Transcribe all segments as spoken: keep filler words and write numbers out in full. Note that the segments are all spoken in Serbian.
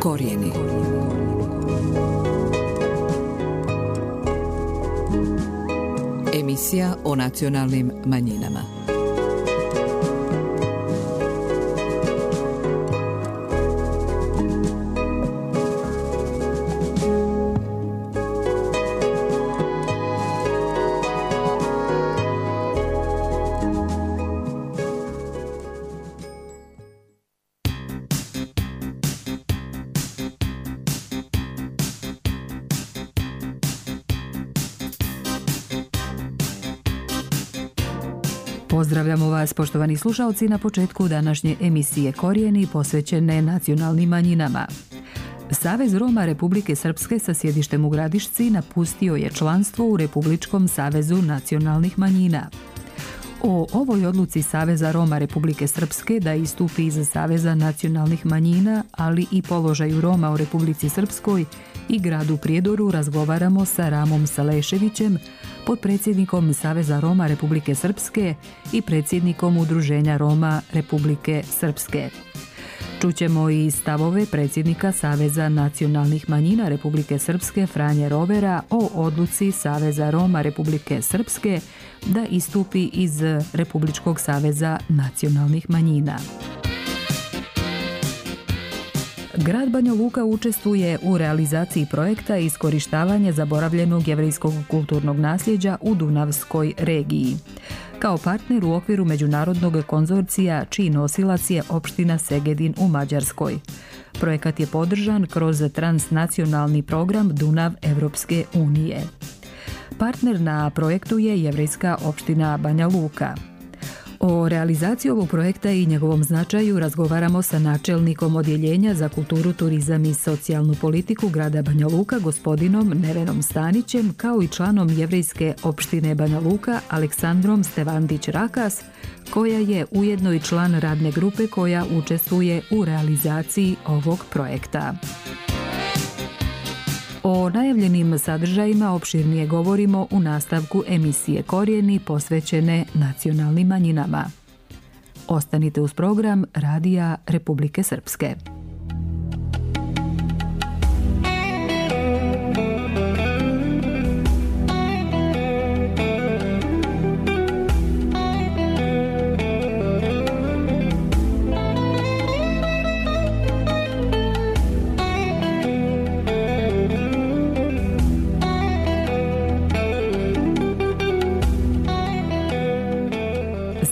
Korijeni. Emisija o nacionalnim manjinama. Pozdravljamo vas, poštovani slušalci, na početku današnje emisije Korijeni posvećene nacionalnim manjinama. Savez Roma Republike Srpske sa sjedištem u Gradišci napustio je članstvo u Republičkom savezu nacionalnih manjina. O ovoj odluci Saveza Roma Republike Srpske da istupi iz Saveza nacionalnih manjina, ali i položaju Roma u Republici Srpskoj i gradu Prijedoru razgovaramo sa Ramom Saleševićem, potpredsjednikom Saveza Roma Republike Srpske i predsjednikom Udruženja Roma Republike Srpske. Čućemo i stavove predsjednika Saveza nacionalnih manjina Republike Srpske Franje Rovera o odluci Saveza Roma Republike Srpske da istupi iz Republičkog saveza nacionalnih manjina. Grad Banja Luka učestvuje u realizaciji projekta iskorištavanja zaboravljenog jevrejskog kulturnog nasljeđa u Dunavskoj regiji. Kao partner u okviru međunarodnog konzorcija čiji nosilac je opština Segedin u Mađarskoj. Projekat je podržan kroz transnacionalni program Dunav Evropske unije. Partner na projektu je jevrejska opština Banja Luka. O realizaciji ovog projekta i njegovom značaju razgovaramo sa načelnikom Odjeljenja za kulturu, turizam i socijalnu politiku grada Banja Luka, gospodinom Nevenom Stanićem, kao i članom jevrejske opštine Banja Luka, Aleksandrom Stevandić-Rakas, koja je ujedno i član radne grupe koja učestvuje u realizaciji ovog projekta. O najavljenim sadržajima opširnije govorimo u nastavku emisije Korijeni posvećene nacionalnim manjinama. Ostanite uz program Radija Republike Srpske.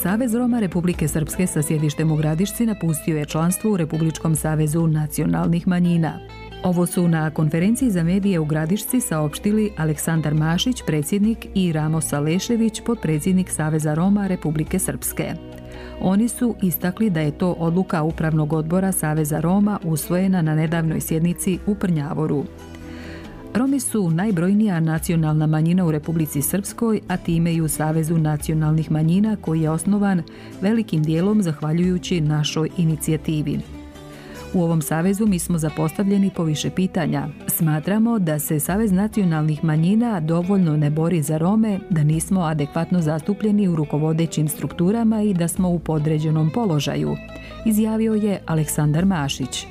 Savez Roma Republike Srpske sa sjedištem u Gradišci napustio je članstvo u Republičkom savezu nacionalnih manjina. Ovo su na konferenciji za medije u Gradišci saopštili Aleksandar Mašić, predsjednik, i Ramo Salešević, potpredsjednik Saveza Roma Republike Srpske. Oni su istakli da je to odluka Upravnog odbora Saveza Roma usvojena na nedavnoj sjednici u Prnjavoru. Romi su najbrojnija nacionalna manjina u Republici Srpskoj, a time i u Savezu nacionalnih manjina koji je osnovan velikim dijelom zahvaljujući našoj inicijativi. U ovom savezu mi smo zapostavljeni po više pitanja. Smatramo da se Savez nacionalnih manjina dovoljno ne bori za Rome, da nismo adekvatno zastupljeni u rukovodećim strukturama i da smo u podređenom položaju, izjavio je Aleksandar Mašić.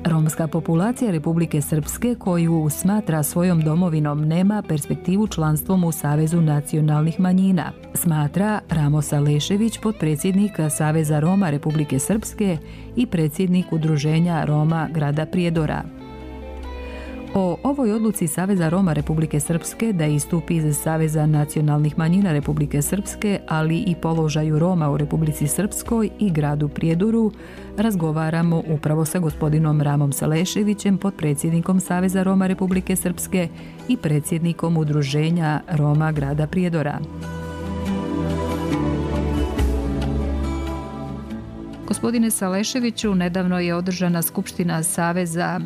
Romska populacija Republike Srpske, koju smatra svojom domovinom, nema perspektivu članstvom u Savezu nacionalnih manjina, smatra Ramo Salešević, potpredsjednik Saveza Roma Republike Srpske i predsjednik Udruženja Roma grada Prijedora. O ovoj odluci Saveza Roma Republike Srpske da istupi iz Saveza nacionalnih manjina Republike Srpske, ali i položaju Roma u Republici Srpskoj i gradu Prijedoru, razgovaramo upravo sa gospodinom Ramom Saleševićem, potpredsjednikom Saveza Roma Republike Srpske i predsjednikom Udruženja Roma grada Prijedora. Gospodine Saleševiću, nedavno je održana Skupština Saveza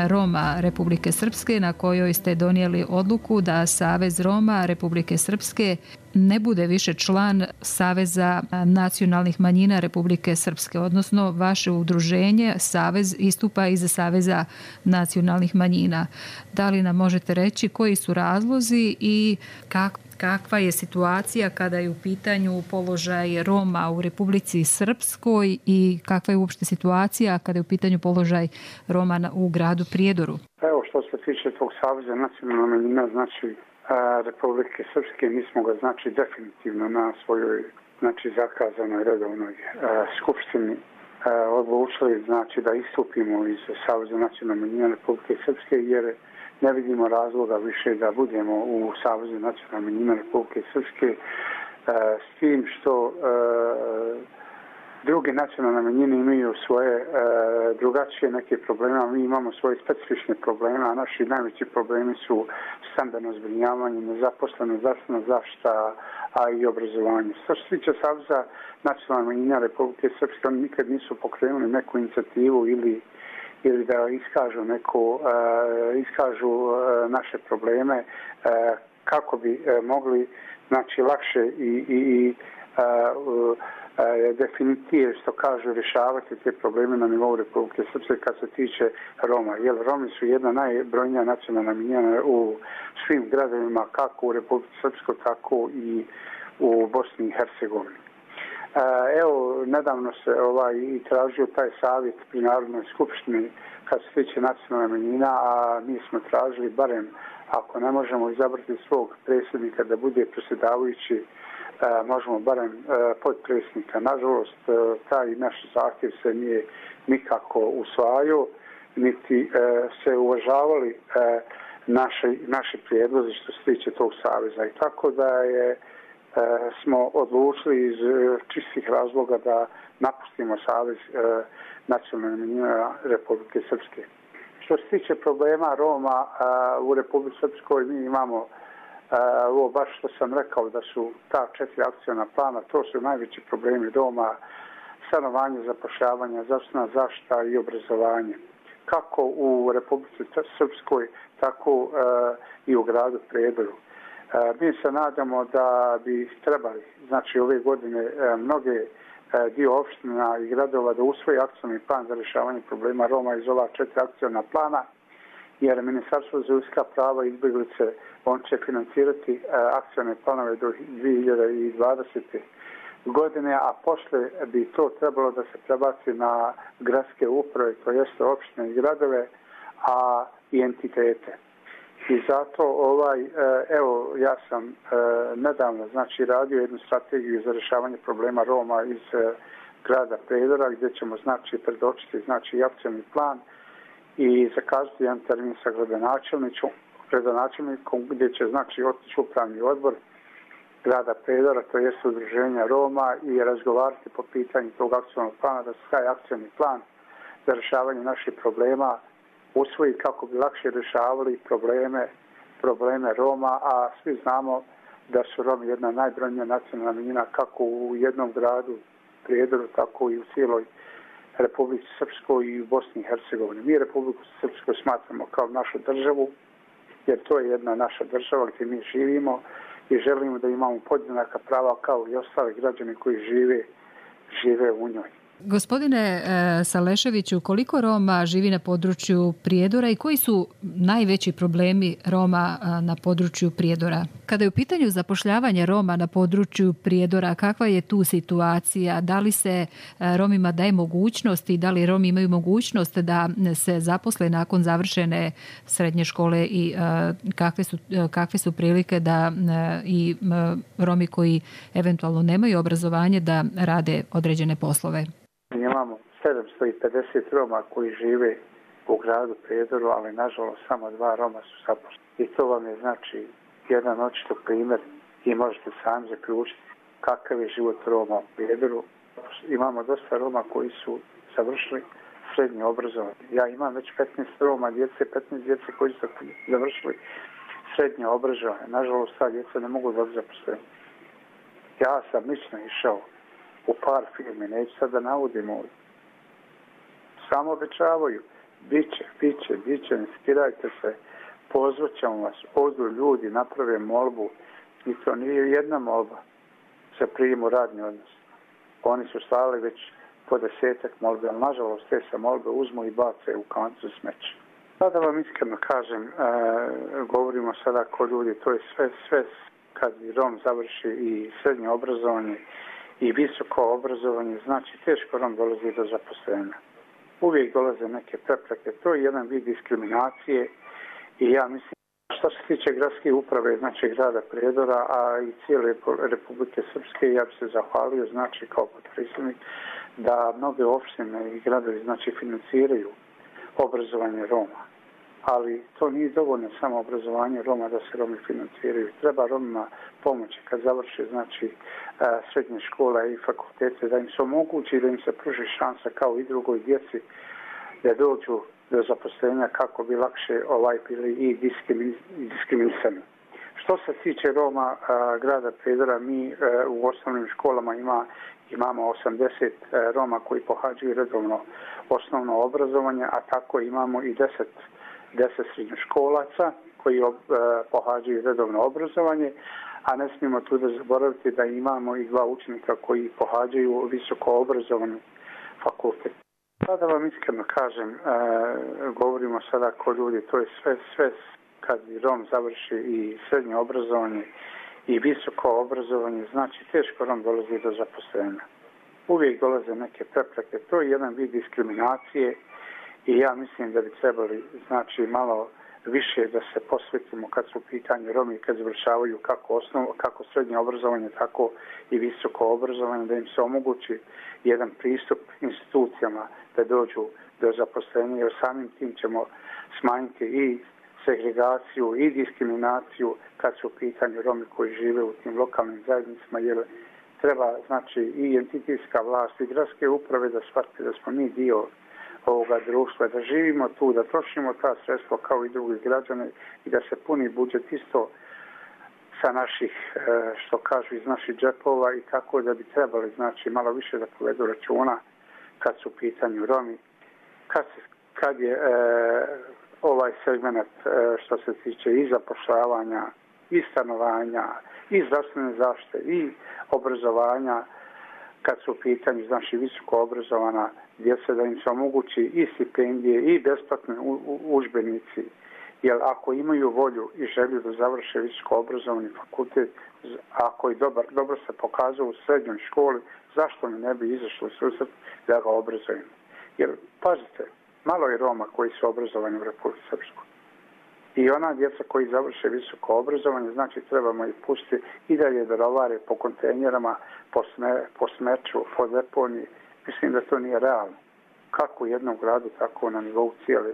Roma Republike Srpske na kojoj ste donijeli odluku da Savez Roma Republike Srpske ne bude više član Saveza nacionalnih manjina Republike Srpske, odnosno vaše udruženje, Savez, istupa iz Saveza nacionalnih manjina. Da li nam možete reći koji su razlozi i kakva je situacija kada je u pitanju položaj Roma u Republici Srpskoj i kakva je uopšte situacija kada je u pitanju položaj Roma u gradu Prijedoru? Evo, što se tiče tog Saveza nacionalna manjina, znači Republike Srpske, mi smo ga znači definitivno na svojoj znači zakazanoj redovnoj skupštini odlučili znači da istupimo iz Saveza nacionalne manjine Republike Srpske, jer ne vidimo razloga više da budemo u Savezu nacionalne manjine Republike Srpske, s tim što druge nacionalne manjine imaju svoje drugačije neke probleme, a mi imamo svoje specifične probleme, a naši najveći problemi su stambeno zbrinjavanje, nezaposleno, zdravstvena zaštita, a i obrazovanje. Što se tiče Saveza nacionalne manjine Republike Srpske, oni nikad nisu pokrenuli neku inicijativu ili ili da iskažu neku, uh, iskažu uh, naše probleme uh, kako bi uh, mogli znači lakše i, i, i uh, uh, definitivno, što kažu, rješavati te probleme na nivou Republike Srpske kad se tiče Roma. Jer Romi su jedna najbrojnija nacionalna manjina u svim gradovima, kako u Republike Srpskoj, tako i u Bosni i Hercegovini. Evo, nedavno se ovaj i tražio taj savjet pri Narodnoj skupštini kad se tiče nacionalne manjina, a mi smo tražili barem, ako ne možemo izabrati svog predsjednika da bude predsjedavajući, možemo barem podpredsjednika. Nažalost, taj naš zahtjev se nije nikako usvajao, niti se uvažavali naši, naši prijedlozi što se tiče tog saveza. I tako da je smo odlučili iz čistih razloga da napustimo Savez nacionalne manjine Republike Srpske. Što se tiče problema Roma u Republici Srpskoj, mi imamo ovo baš što sam rekao da su ta četiri akcijna plana, to su najveći problemi Roma, stanovanje, zapošljavanje, zdravstvena zaštita i obrazovanje. Kako u Republici Srpskoj, tako i u gradu Prijedoru. Mi se nadamo da bi trebali, znači ove godine, mnoge dio opština i gradova da usvoji akcijni plan za rješavanje problema Roma iz ova četiri akcijna plana, jer Ministarstvo za ljudska prava i izbjeglice, on će financirati akcijne planove do dvije hiljade dvadesete godine, a posle bi to trebalo da se prebaci na gradske uprave, to jeste opštine i gradove, a i entitete. I zato ovaj, evo, ja sam nedavno znači radio jednu strategiju za rješavanje problema Roma iz grada Prijedora, gdje ćemo znači predočiti znači akcijni plan i zakazati jedan termin sa gradonačelnikom gdje će znači otići upravni odbor grada Prijedora, to jest udruženja Roma, i razgovarati po pitanju tog akcijnog plana, da se taj akcijni plan za rješavanje naših problema usvoji kako bi lakše rješavali probleme, probleme Roma, a svi znamo da su Romi jedna najbrojnija nacionalna manjina kako u jednom gradu Prijedoru, tako i u cijeloj Republici Srpskoj i u Bosni i Hercegovini. Mi Republiku Srpskoj smatramo kao našu državu, jer to je jedna naša država gdje mi živimo i želimo da imamo podjednaka prava kao i ostali građani koji žive, žive u njoj. Gospodine Saleševiću, koliko Roma živi na području Prijedora i koji su najveći problemi Roma na području Prijedora? Kada je u pitanju zapošljavanje Roma na području Prijedora, kakva je tu situacija? Da li se Romima daje mogućnost i da li Romi imaju mogućnost da se zaposle nakon završene srednje škole i kakve su, kakve su prilike da i Romi koji eventualno nemaju obrazovanje da rade određene poslove? Imamo sedamsto pedeset Roma koji žive u gradu Prijedoru, ali nažalost samo dva Roma su zaposleni. I to vam je znači jedan očito primjer i možete sami zaključiti kakav je život Roma u Prijedoru. Imamo dosta Roma koji su završili srednje obrazovanje. Ja imam već petnaest Roma, djece, petnaest djece koji su završili srednje obrazovanje. Nažalost, ta djeca ne mogu dobiti zaposlenje. Ja sam lično išao u par firmi, neću sad da navodim ovdje. Samo obećavaju, biće, biće, biće, ne skidajte se, pozvat ćemo vas, odu ljudi, naprave molbu, i to nije jedna molba za prijem u radni odnos. Oni su slali već po desetak molbe, ali nažalost te se molbe uzmu i bace u kancu smeća. Sada vam iskreno kažem, e, govorimo sada ko ljudi, to je sve, sve kad Rom završi i srednje obrazovanje i visoko obrazovanje, znači teško Rom dolazi do zaposlenja. Uvijek dolaze neke prepreke. To je jedan vid diskriminacije i ja mislim što se tiče gradske uprave, znači grada Prijedora, a i cijele Republike Srpske, ja bi se zahvalio, znači kao potpredsjednik, da mnoge opštine i gradovi znači financiraju obrazovanje Roma. Ali to nije dovoljno samo obrazovanje Roma da se Romi financiraju. Treba Romima pomoći kad završe znači srednje škole i fakultete, da im se omogući, da im se pruži šansa kao i drugoj djeci da dođu do zaposlenja kako bi lakše ovaj bili i diskriminisani. Što se tiče Roma grada Prijedora, mi u osnovnim školama ima, imamo osamdeset Roma koji pohađaju redovno osnovno obrazovanje, a tako imamo i deset srednjoškolaca koji ob, pohađaju redovno obrazovanje, a ne smijemo tu da zaboraviti da imamo i dva učenika koji pohađaju visoko obrazovani fakultet. Sada vam iskreno kažem, e, govorimo sada ko ljudi, to je sve, sve kad Rom završi i srednje obrazovanje i visoko obrazovanje, znači teško Rom dolazi do zaposlenja. Uvijek dolaze neke prepreke, to je jedan vid diskriminacije i ja mislim da bi trebali znači malo više da se posvetimo kad su u pitanju Romi, kad završavaju kako osnovno, kako srednje obrazovanje, tako i visoko obrazovanje, da im se omogući jedan pristup institucijama da dođu do zaposlenja, jer samim tim ćemo smanjiti i segregaciju i diskriminaciju kad su u pitanju Romi koji žive u tim lokalnim zajednicama, jer treba znači i entitetska vlast i gradske uprave da shvate da smo mi dio ovoga društva, da živimo tu, da trošimo ta sredstva kao i drugi građani i da se puni budžet isto sa naših, što kažu, iz naših džepova i tako da bi trebali znači malo više da povedu računa kad su u pitanju Romi, kad, se, kad je e, ovaj segment e, što se tiče i zapošljavanja, i stanovanja, i zdravstvene zaštite, i obrazovanja, kad su u pitanju znači visoko obrazovana djeca, da im se omogući i stipendije i besplatni udžbenici, jer ako imaju volju i želju da završe visoko obrazovani fakultet, ako je dobar, dobro se pokazao u srednjoj školi, zašto mi ne bi izašlo susret da ga obrazujemo? Jer, pazite, malo je Roma koji su obrazovani u Republici Srpskoj. I ona djeca koji završe visoko obrazovanje, znači trebamo ih pustiti i dalje da rovare po kontejnerama, po, sme, po smeću, po deponiji. Mislim da to nije realno. Kako u jednom gradu, tako na nivou cijele,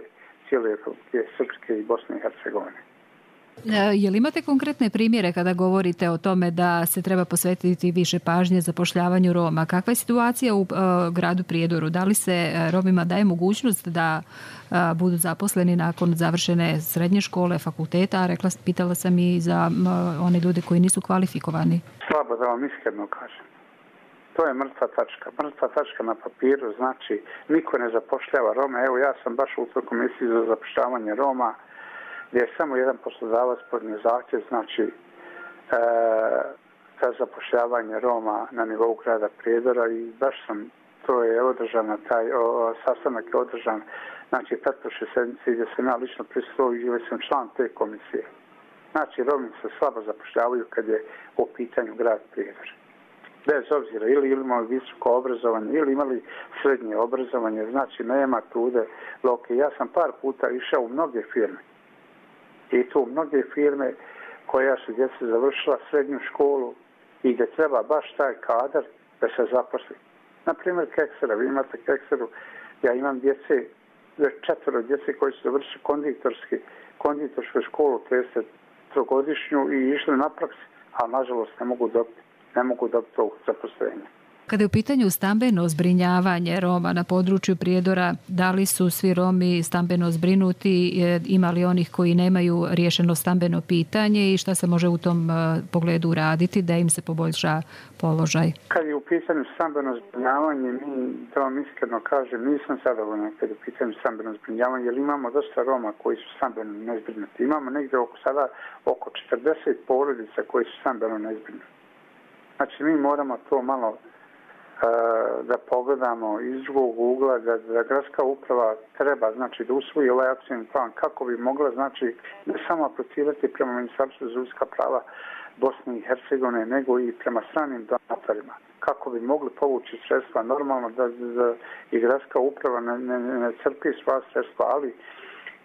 cijele Republike Srpske i Bosne i Hercegovine. Je li imate konkretne primjere kada govorite o tome da se treba posvetiti više pažnje zapošljavanju Roma? Kakva je situacija u uh, gradu Prijedoru? Da li se Romima daje mogućnost da uh, budu zaposleni nakon završene srednje škole, fakulteta? Rekla, pitala sam i za uh, one ljude koji nisu kvalifikovani. Slabo da vam iskreno kažem. To je mrtva tačka. Mrtva tačka na papiru, znači niko ne zapošljava Roma. Evo ja sam baš u toj komisiji za zapošljavanje Roma, gdje je samo jedan poslodavac podnio zahtjev, znači e, za zapošljavanje Roma na nivou grada Prijedora i baš sam, to je održana, taj o, sastanak je održan, znači pretprošle sedmice gdje sam ja lično prisustvovao i gdje sam član te komisije. Znači Romi se slabo zapošljavaju kad je u pitanju grad Prijedor. Bez obzira ili imali visoko obrazovanje ili imali srednje obrazovanje, znači nema trude loke. Ja sam par puta išao u mnoge firme. I tu mnoge firme koja su djeca završila srednju školu i gdje treba baš taj kadar da se zaposli. Naprimjer Keksera, vi imate Kekseru, ja imam djece, četvero djece koji su završili konditorski, konditorsku školu, trideset trogodišnju i išli na praksi, a nažalost ne mogu dobiti, ne mogu dobiti to zaposlenje. Kada je u pitanju stambeno zbrinjavanje Roma na području Prijedora, da li su svi Romi stambeno zbrinuti, ima li onih koji nemaju riješeno stambeno pitanje i šta se može u tom uh, pogledu raditi da im se poboljša položaj? Kad je u pitanju stambeno zbrinjavanje, mi, da vam iskreno kažem, nisam zadovoljna kad je u pitanju stambeno zbrinjavanje, jer imamo dosta Roma koji su stambeno nezbrinuti. Imamo negdje oko sada oko četrdeset porodica koji su stambeno nezbrinuti. Znači mi moramo to malo da pogledamo iz drugog ugla, da, da gradska uprava treba znači da usvoji ovaj akcijni plan kako bi mogla znači ne samo aplicirati prema Ministarstvu za ljudska prava Bosne i Hercegovine, nego i prema stranim donatorima. Kako bi mogli povući sredstva, normalno da, da i gradska uprava ne, ne, ne crpi sva sredstva, ali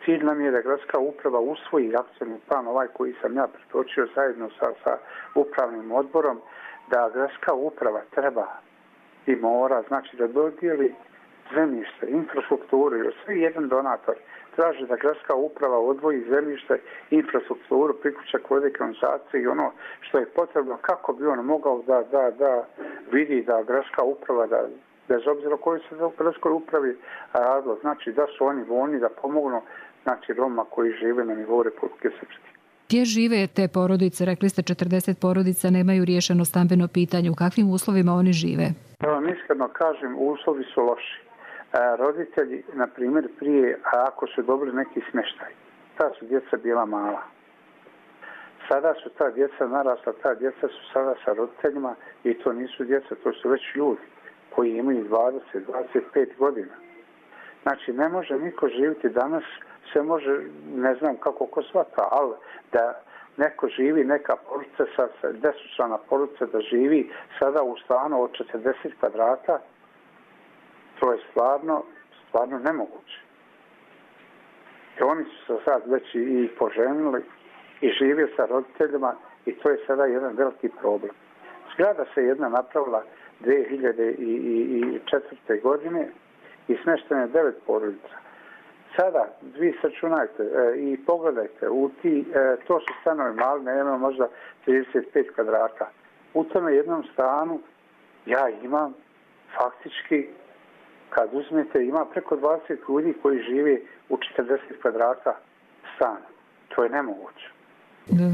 cilj nam je da gradska uprava usvoji akcijni plan, ovaj koji sam ja pretočio zajedno sa, sa upravnim odborom, da gradska uprava treba i mora, znači da dodijeli zemljište, infrastrukturu, jer svi jedan donator traži da gradska uprava odvoji zemljište, infrastrukturu, priključak vode, kanalizacije i ono što je potrebno kako bi on mogao da, da, da vidi da gradska uprava, da bez obzira koji se u gradskoj upravi radilo, znači da su oni voljni da pomognu, znači Roma koji žive na nivou Republike Srpske. Gdje žive te porodice? Rekli ste četrdeset porodica nemaju riješeno stambeno pitanje. U kakvim uslovima oni žive? Ja vam iskreno kažem, uslovi su loši. A, roditelji, na primjer, prije, a ako su dobili neki smještaj, ta su djeca bila mala. Sada su ta djeca narasla, ta djeca su sada sa roditeljima i to nisu djeca, to su već ljudi koji imaju dvadeset do dvadeset pet godina. Znači, ne može niko živjeti danas, se može, ne znam kako ko svata, ali da neko živi, neka porodica sa, sa desetčlana porodica da živi sada u stanu od četrdeset kvadrata, to je stvarno, stvarno nemoguće. I oni su se sad već i poženili i žive sa roditeljima i to je sada jedan veliki problem. Zgrada se jedna napravila dvije hiljade četvrte. godine i smešteno je devet porodica. Sada, vi sačunajte e, i pogledajte, u ti, e, to su stanovi mali, nema možda trideset pet kvadrata. U tome jednom stanu ja imam faktički, kad uzmete, ima preko dvadeset ljudi koji žive u četrdeset kvadrata stana. To je nemoguće.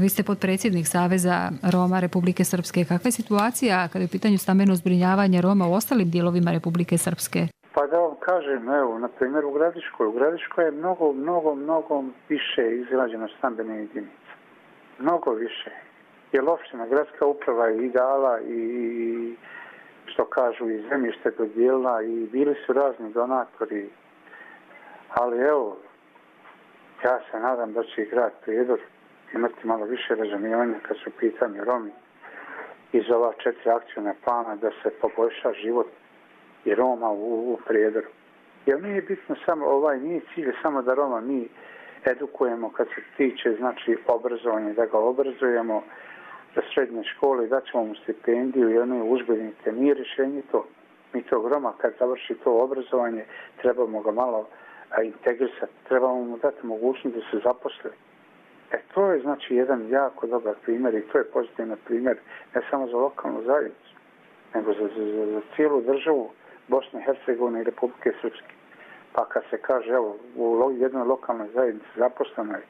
Vi ste potpredsjednik Saveza Roma Republike Srpske. Kakva je situacija kada je u pitanju stambeno zbrinjavanje Roma u ostalim dijelovima Republike Srpske? Pa da vam kažem, evo, na primjer u Gradiškoj. U Gradiškoj je mnogo, mnogo, mnogo više izgrađeno stambene jedinice. Mnogo više. Jer opština, gradska uprava je i dala i, što kažu, i zemljište dodijelila i bili su razni donatori. Ali evo, ja se nadam da će i grad Prijedor imati malo više razumijevanja kad su pitanje Romi iz ova četiri akcijna plana da se poboljša život i Roma u, u Prijedoru. Jer nije bitno samo, ovaj nije cilj samo da Roma mi edukujemo kad se tiče, znači, obrazovanje, da ga obrazujemo za srednje škole i da ćemo mu stipendiju i one udžbenike. Nije rješenje to. Mi tog Roma kad završi to obrazovanje trebamo ga malo a, integrisati, trebamo mu dati mogućnost da se zaposli. E to je znači jedan jako dobar primjer i to je pozitivan primjer ne samo za lokalnu zajednicu, nego za, za, za cijelu državu Bosne i Hercegovine i Republike Srpske. Pa kad se kaže, evo, u jednoj lokalnoj zajednici zaposleno je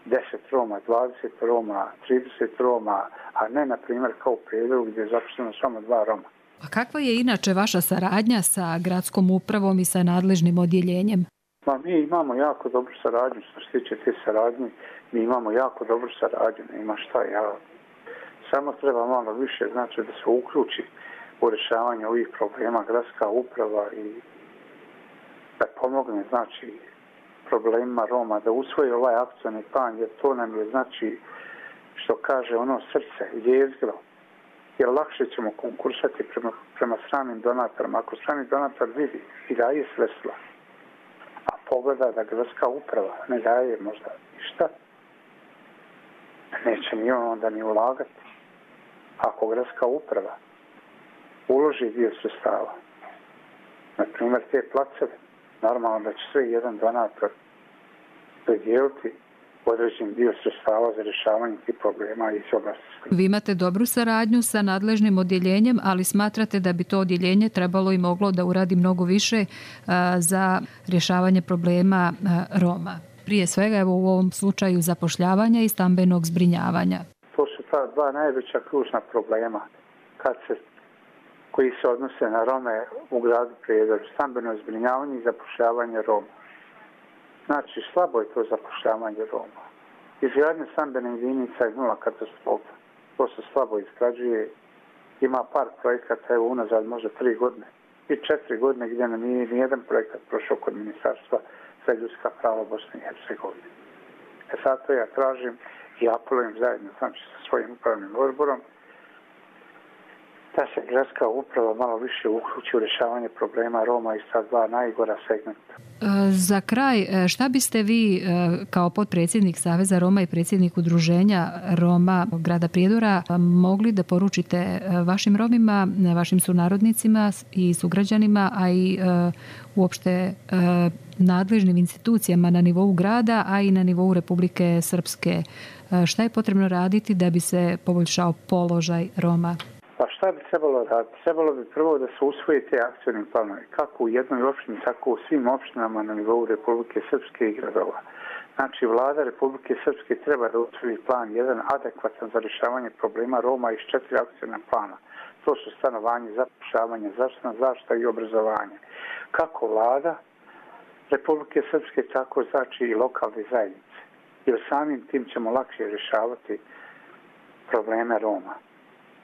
deset Roma, dvadeset Roma, trideset Roma, a ne, na primjer, kao u Prijedoru gdje je zaposleno samo dva Roma. A kakva je inače vaša saradnja sa gradskom upravom i sa nadležnim odjeljenjem? Ma, mi imamo jako dobru saradnju, što se tiče te saradnje, mi imamo jako dobru saradnju, nema šta, ja samo treba malo više, znači da se uključi u rješavanje ovih problema gradska uprava i da pomogne, znači, problemima Roma, da usvoji ovaj akcijni plan, jer to nam je, znači, što kaže ono srce, jezgro, jer lakše ćemo konkursati prema, prema stranim donatorima. Ako strani donator vidi i daje sredstva, a pogleda da gradska uprava ne daje možda ništa, neće ni on onda ni ulagati. Ako gradska uprava uloži dio sredstava, na primjer te placeve, normalno da će sve jedan donator dodijeliti određen dio sredstava za rješavanje tih problema iz oblasti. Vi imate dobru saradnju sa nadležnim odjeljenjem, ali smatrate da bi to odjeljenje trebalo i moglo da uradi mnogo više a, za rješavanje problema a, Roma. Prije svega, evo u ovom slučaju zapošljavanja i stambenog zbrinjavanja. To su ta dva najveća ključna problema kad se, koji se odnose na Rome u gradu Prijedor, stambeno zbrinjavanje i zapošljavanje Roma. Znači, slabo je to zapošljavanje Roma. Izgradnja stambene jedinica je nula katastrofa. To se slabo izgrađuje. Ima par projekata, evo unazad možda tri godine i četiri godine gdje nam nije nijedan projekat prošao kod Ministarstva za ljudska prava Bosne i Hercegovine. E zato ja tražim i apelujem zajedno znači, sa svojim upravnim odborom da se gradska uprava malo više uključi u rješavanje problema Roma iz ta dva najgora segmenta. Za kraj, šta biste vi kao potpredsjednik Saveza Roma i predsjednik udruženja Roma grada Prijedora mogli da poručite vašim Romima, vašim sunarodnicima i sugrađanima, a i uopšte nadležnim institucijama na nivou grada, a i na nivou Republike Srpske? Šta je potrebno raditi da bi se poboljšao položaj Roma? Pa šta bi trebalo raditi? Trebalo bi prvo da se usvoje te akcijni planovi, kako u jednoj opštini, tako u svim opštinama na nivou Republike Srpske i gradova. Znači, vlada Republike Srpske treba da usvoji plan jedan adekvatan za rješavanje problema Roma iz četiri akcijna plana. To su stanovanje, zapošljavanje, zdravstvena zaštita i obrazovanje. Kako vlada Republike Srpske, tako znači i lokalne zajednice. Jer samim tim ćemo lakše rješavati probleme Roma.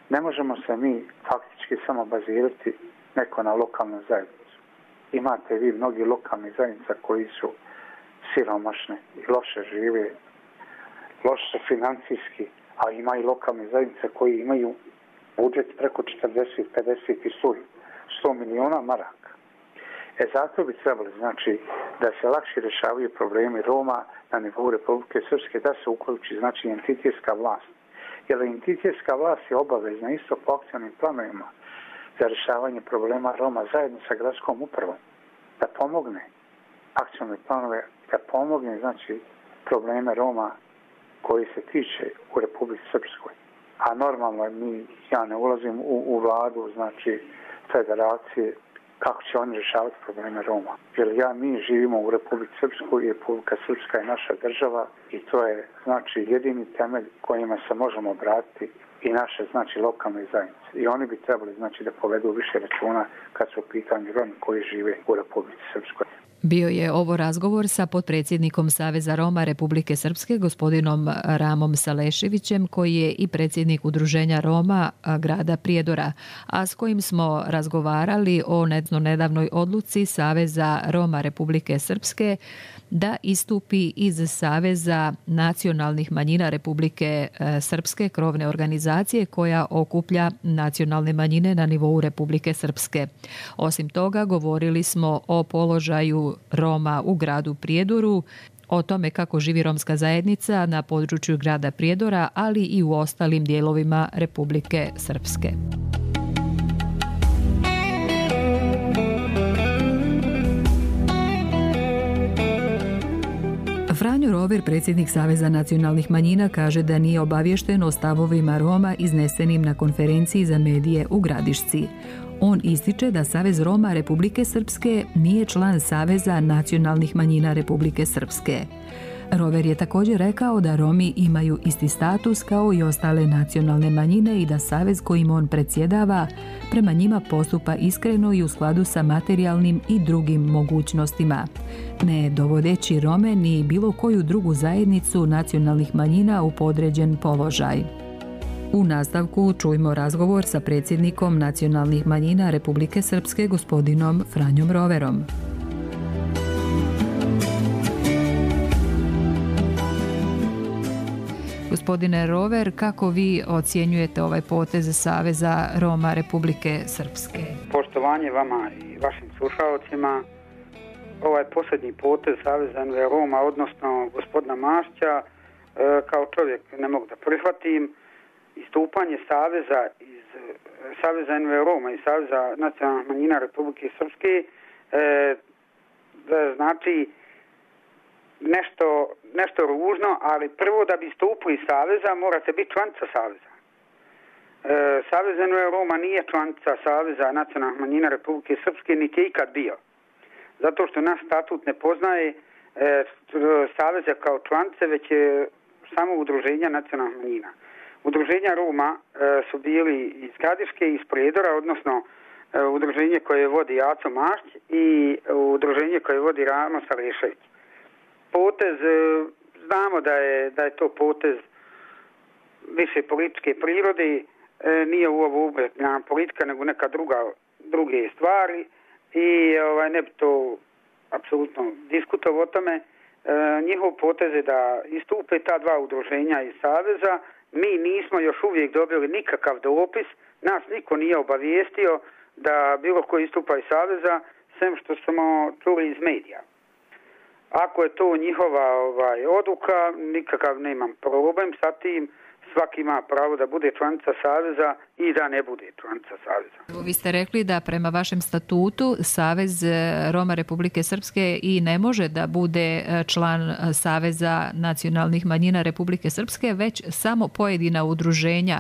Ne možemo se mi faktički samo bazirati neko na lokalnu zajednicu. Imate vi mnogi lokalni zajednica koji su siromašne i loše žive, loše financijski, a ima i lokalne zajednice koji imaju budžet preko četrdeset, pedeset i sto miliona maraka. E zato bi trebali, znači, da se lakše rješavaju problemi Roma na nivou Republike Srpske, da se uključi, znači, entitetska vlast. Jer entitetska vlast je obavezna isto po akcijnim planovima za rješavanje problema Roma zajedno sa gradskom upravom da pomogne akcijne planove, da pomogne znači probleme Roma koji se tiče u Republici Srpskoj. A normalno mi, ja ne ulazim u, u vladu, znači federacije, kako će oni rješavati probleme Roma. Jer ja, mi živimo u Republici Srpskoj i Republika Srpska je naša država i to je znači jedini temelj kojima se možemo obratiti i naše znači lokalne zajednice. I oni bi trebali znači da povedu više računa kad su u pitanju Romi koji žive u Republici Srpskoj. Bio je ovo razgovor sa potpredsjednikom Saveza Roma Republike Srpske, gospodinom Ramom Saleševićem, koji je i predsjednik Udruženja Roma grada Prijedora, a s kojim smo razgovarali o nedavnoj odluci Saveza Roma Republike Srpske da istupi iz Saveza nacionalnih manjina Republike Srpske, krovne organizacije koja okuplja nacionalne manjine na nivou Republike Srpske. Osim toga, govorili smo o položaju Roma u gradu Prijedoru, o tome kako živi romska zajednica na području grada Prijedora, ali i u ostalim dijelovima Republike Srpske. Franjo Rover, predsjednik Saveza nacionalnih manjina, kaže da nije obaviješten o stavovima Roma iznesenim na konferenciji za medije u Gradišci. On ističe da Savez Roma Republike Srpske nije član Saveza nacionalnih manjina Republike Srpske. Rover je također rekao da Romi imaju isti status kao i ostale nacionalne manjine i da savez kojim on predsjedava prema njima postupa iskreno i u skladu sa materijalnim i drugim mogućnostima, ne dovodeći Rome ni bilo koju drugu zajednicu nacionalnih manjina u podređen položaj. U nastavku čujmo razgovor sa predsjednikom nacionalnih manjina Republike Srpske, gospodinom Franjom Roverom. Gospodine Rover, kako vi ocjenjujete ovaj potez Saveza Roma Republike Srpske? Poštovanje vama i vašim slušalcima. Ovaj posljednji potez Saveza Roma, odnosno gospodina Mašća, kao čovjek ne mogu da prihvatim. Istupanje Saveza iz Saveza Roma i Saveza nacionalnih manjina Republike Srpske znači nešto, nešto ružno, ali prvo da bi istupili iz Saveza morate biti članica Saveza. E, Savez Roma nije članica Saveza nacionalnih manjina Republike Srpske, niti je ikad bio. Zato što naš statut ne poznaje e, Saveza kao članice, već je samo udruženja nacionalnih manjina. Udruženja Roma e, su bili iz Gradiške i iz Prijedora, odnosno e, udruženje koje vodi Aco Mašć i udruženje koje vodi Ramo Salešević. Potez, znamo da je, da je to potez više političke prirode, nije u ovo ubretna politika, nego neka druga, druge stvari i ovaj, ne bi to apsolutno diskutovao o tome. njihov poteze da istupe ta dva udruženja iz Saveza. Mi nismo još uvijek dobili nikakav dopis, nas niko nije obavijestio da bilo ko istupa iz Saveza, sem što smo čuli iz medija. Ako je to njihova ovaj, odluka, nikakav nemam problem sa tim. Svaki ima pravo da bude članica Saveza i da ne bude članica Saveza. Vi ste rekli da prema vašem statutu Savez Roma Republike Srpske i ne može da bude član Saveza nacionalnih manjina Republike Srpske, već samo pojedina udruženja.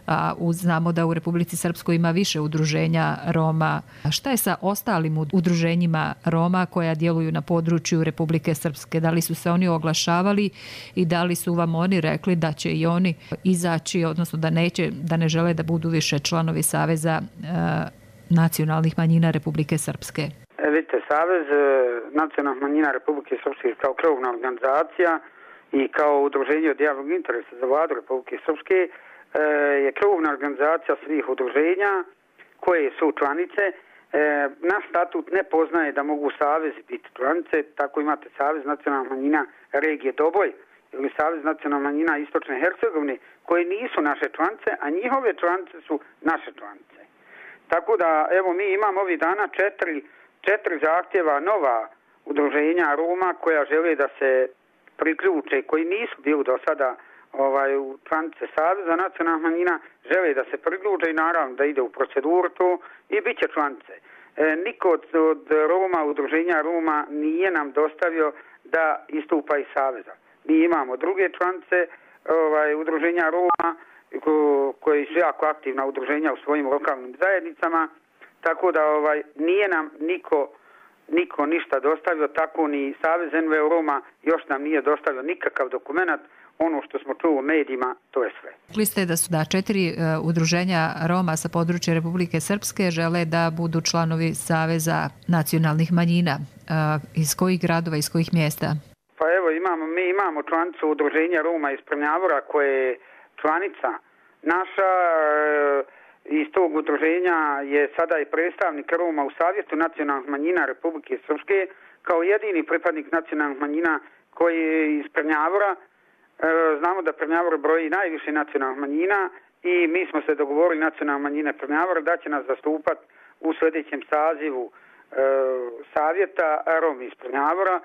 A znamo da u Republici Srpskoj ima više udruženja Roma. Šta je sa ostalim udruženjima Roma koja djeluju na području Republike Srpske? Da li su se oni oglašavali i da li su vam oni rekli da će i oni izaći, odnosno da neće, da ne žele da budu više članovi Saveza e, nacionalnih manjina Republike Srpske? E, vidite, Savez nacionalnih manjina Republike Srpske kao krovna organizacija i kao udruženje od javnog interesa za vladu Republike Srpske je krovna organizacija svih udruženja koje su članice. Naš statut ne poznaje da mogu savezi biti članice, tako imate Savez nacionalnih manjina regije Doboj ili Savez nacionalnih manjina Istočne Hercegovine koje nisu naše članice, a njihove članice su naše članice. Tako da, evo, mi imamo ovih dana četiri, četiri zahtjeva nova udruženja Roma koja žele da se priključe, koji nisu bili do sada ovaj, u članice Saveza nacionalnih manjina, žele da se priključe i naravno da ide u proceduru to i bit će članice. E, niko od, od Roma, udruženja Roma nije nam dostavio da istupa iz Saveza. Mi imamo druge članice ovaj, udruženja Roma ko, koji su jako aktivna udruženja u svojim lokalnim zajednicama, tako da ovaj, nije nam niko, niko ništa dostavio, tako ni Savez N V Roma još nam nije dostavio nikakav dokument. Ono što smo čuli u medijima, to je sve. Rekli ste da su da četiri uh, udruženja Roma sa područja Republike Srpske žele da budu članovi Saveza nacionalnih manjina. Uh, iz kojih gradova, iz kojih mjesta? Pa evo, imamo, mi imamo članicu udruženja Roma iz Prnjavora koja je članica naša. Uh, iz tog udruženja je sada i predstavnik Roma u Savjetu nacionalnih manjina Republike Srpske kao jedini pripadnik nacionalnih manjina koji je iz Prnjavora. Znamo da Prnjavor broji najviše nacionalnih manjina i mi smo se dogovorili nacionalne manjine Prnjavora da će nas zastupati u sljedećem sazivu e, savjeta Rom iz Prnjavora.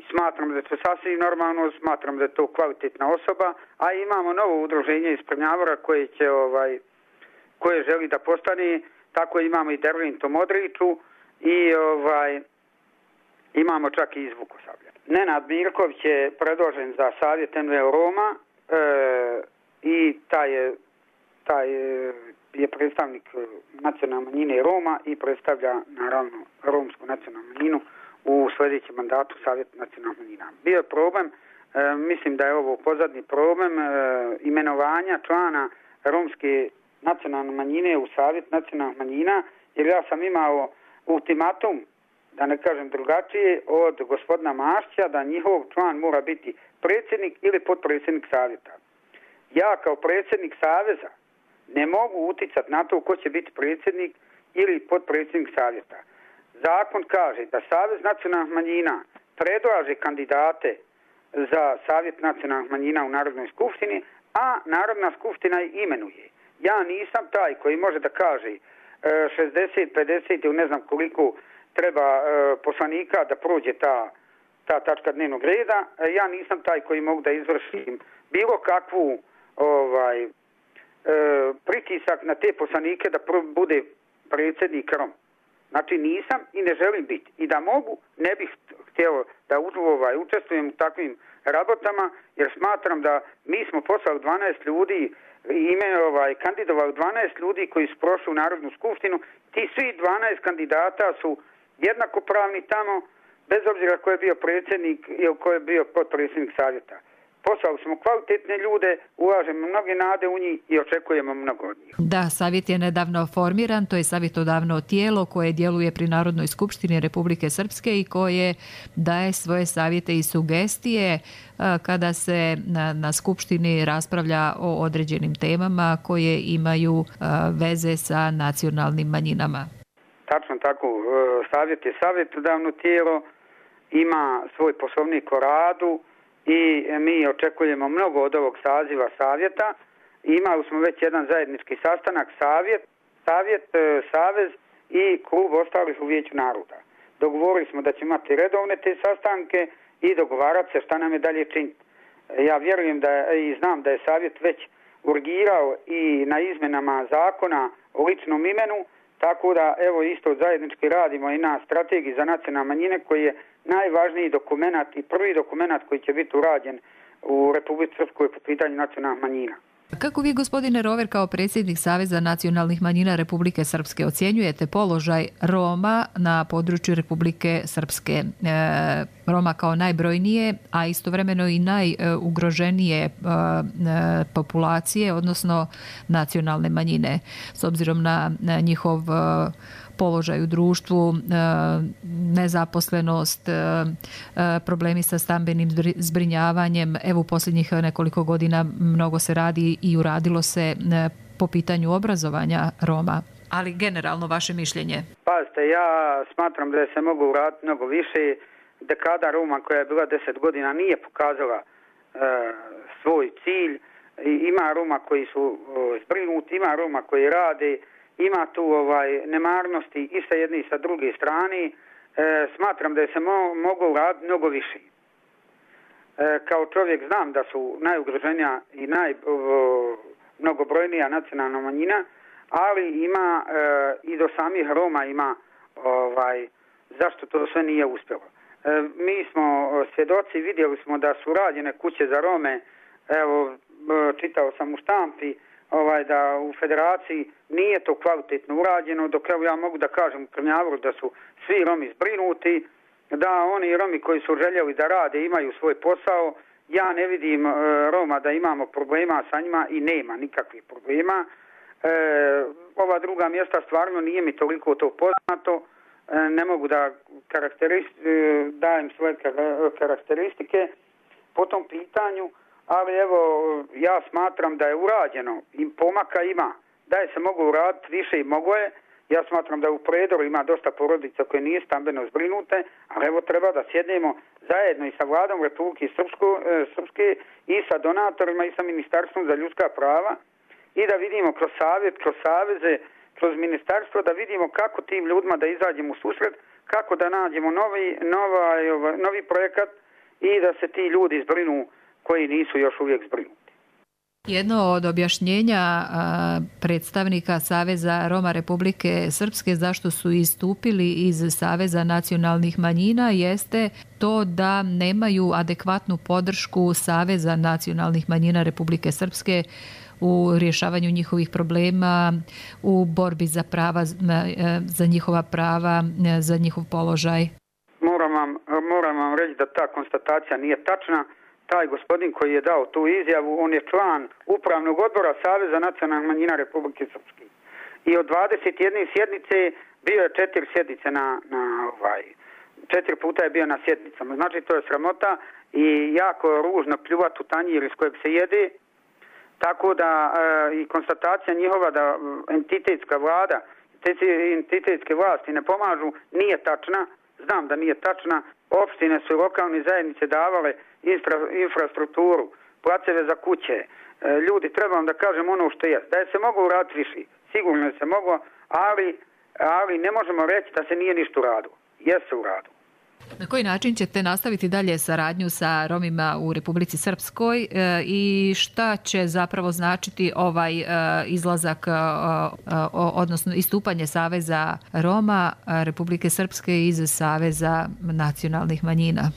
Smatram da je to sasvim normalno, smatram da je to kvalitetna osoba, a imamo novo udruženje iz Prnjavora koje će ovaj, koje želi da postane, tako imamo i Dervinto Modriću i ovaj, imamo čak i iz Vukosavlja. Nenad Mirković je predložen za savjet N V Roma e, i taj je, taj je predstavnik nacionalne manjine Roma i predstavlja naravno romsku nacionalnu manjinu u sljedećem mandatu savjeta nacionalnih manjina. Bio je problem, e, mislim da je ovo pozadnji problem e, imenovanja člana romske nacionalne manjine u savjet nacionalnih manjina, jer ja sam imao ultimatum, da ne kažem drugačije, od gospodina Mašća da njihov član mora biti predsjednik ili potpredsjednik savjeta. Ja kao predsjednik saveza ne mogu uticati na to ko će biti predsjednik ili potpredsjednik savjeta. Zakon kaže da Savez nacionalnih manjina predlaže kandidate za savjet nacionalnih manjina u Narodnoj skupštini, a Narodna skupština ih imenuje. Ja nisam taj koji može da kaže šezdeset, pedeset ili ne znam koliko treba e, poslanika da prođe ta, ta tačka dnevnog reda. E, ja nisam taj koji mogu da izvršim bilo kakvu ovaj, e, pritisak na te poslanike da pro, bude predsjednik Rom. Znači nisam i ne želim biti. I da mogu, ne bih htjelo da ovaj, učestvujem u takvim rabotama, jer smatram da mi smo poslali dvanaest ljudi, ime ovaj, kandidovali dvanaest ljudi koji su prošli u Narodnu skupštinu. Ti svi dvanaest kandidata su jednakopravni tamo, bez obzira ko je bio predsjednik ili ko je bio potpredsjednik savjeta. Poslali smo kvalitetne ljude, ulažemo mnoge nade u njih i očekujemo mnogo od njih. Da, savjet je nedavno formiran, to je savjetodavno tijelo koje djeluje pri Narodnoj skupštini Republike Srpske i koje daje svoje savjete i sugestije kada se na, na skupštini raspravlja o određenim temama koje imaju veze sa nacionalnim manjinama. Tačno tako, savjet je savjetodavno tijelo ima svoj poslovnik o radu i mi očekujemo mnogo od ovog saziva savjeta. Imali smo već jedan zajednički sastanak, savjet, savjet, savez i klub ostalih u Vijeću naroda. Dogovorili smo da ćemo imati redovne te sastanke i dogovarati se šta nam je dalje činiti. Ja vjerujem da i znam da je savjet već urgirao i na izmenama zakona o ličnom imenu, tako da evo isto zajednički radimo i na strategiji za nacionalne manjine koji je najvažniji dokumenat i prvi dokumenat koji će biti urađen u Republici Srpskoj po pitanju nacionalnih manjina. Kako vi, gospodine Rover, kao predsjednik Saveza nacionalnih manjina Republike Srpske ocjenjujete položaj Roma na području Republike Srpske? E, Roma kao najbrojnije, a istovremeno i najugroženije e, populacije, odnosno nacionalne manjine, s obzirom na, na njihov e, položaj u društvu, nezaposlenost, problemi sa stambenim zbrinjavanjem. Evo u posljednjih nekoliko godina mnogo se radi i uradilo se po pitanju obrazovanja Roma. Ali generalno vaše mišljenje? Pazite, ja smatram da se mogu uraditi mnogo više. Dekada Roma koja je bila deset godina nije pokazala e, svoj cilj. Ima Roma koji su zbrinuti, ima Roma koji rade, ima tu ovaj nemarnosti i sa jedne i sa druge strane. E, smatram da se mo, mogu uraditi mnogo više. E, kao čovjek znam da su najugroženija i naj, o, mnogobrojnija nacionalna manjina, ali ima e, i do samih Roma ima ovaj, zašto to sve nije uspjelo. E, mi smo svjedoci, vidjeli smo da su rađene kuće za Rome, evo čitao sam u štampi, ovaj, da u federaciji nije to kvalitetno urađeno, dok evo ja mogu da kažem u Krnjavoru da su svi Romi zbrinuti, da oni Romi koji su željeli da rade imaju svoj posao. Ja ne vidim e, Roma da imamo problema sa njima i nema nikakvih problema. E, ova druga mjesta stvarno nije mi toliko to poznato, e, ne mogu da karakterist, e, dajem svoje karakteristike po tom pitanju. Ali evo, ja smatram da je urađeno i pomaka ima, da je se mogu uraditi više i mogo je. Ja smatram da u Predoru ima dosta porodica koje nije stambeno zbrinute, ali evo treba da sjednemo zajedno i sa vladom Republike Srpske i sa donatorima i sa Ministarstvom za ljudska prava i da vidimo kroz savjet, kroz saveze, kroz ministarstvo, da vidimo kako tim ljudima da izađemo u susret, kako da nađemo novi, nova, novi projekat i da se ti ljudi zbrinu koji nisu još uvijek zbrinuti. Jedno od objašnjenja a, predstavnika Saveza Roma Republike Srpske zašto su istupili iz Saveza nacionalnih manjina jeste to da nemaju adekvatnu podršku Saveza nacionalnih manjina Republike Srpske u rješavanju njihovih problema, u borbi za prava, za njihova prava, za njihov položaj. Moram vam, moram vam reći da ta konstatacija nije tačna. Taj gospodin koji je dao tu izjavu, on je član upravnog odbora Saveza nacionalnih manjina Republike Srpske. I od dvadeset jedne sjednice bio je četiri sjednice na, na ovaj, četiri puta je bio na sjednicama. Znači to je sramota i jako ružno pljuvati u tanjir iz kojeg se jede. Tako da e, i konstatacija njihova da entitetska vlada, entitetske vlasti ne pomažu, nije tačna. Znam da nije tačna. Opštine su lokalne zajednice davale infra, infrastrukturu, placeve za kuće. E, ljudi, trebam da kažem ono što je. Da je se moglo uraditi više. Sigurno je se moglo, ali, ali ne možemo reći da se nije ništa uradilo. Jeste uradilo. Na koji način ćete nastaviti dalje saradnju sa Romima u Republici Srpskoj e, i šta će zapravo značiti ovaj e, izlazak, e, odnosno istupanje Saveza Roma Republike Srpske iz Saveza nacionalnih manjina? E,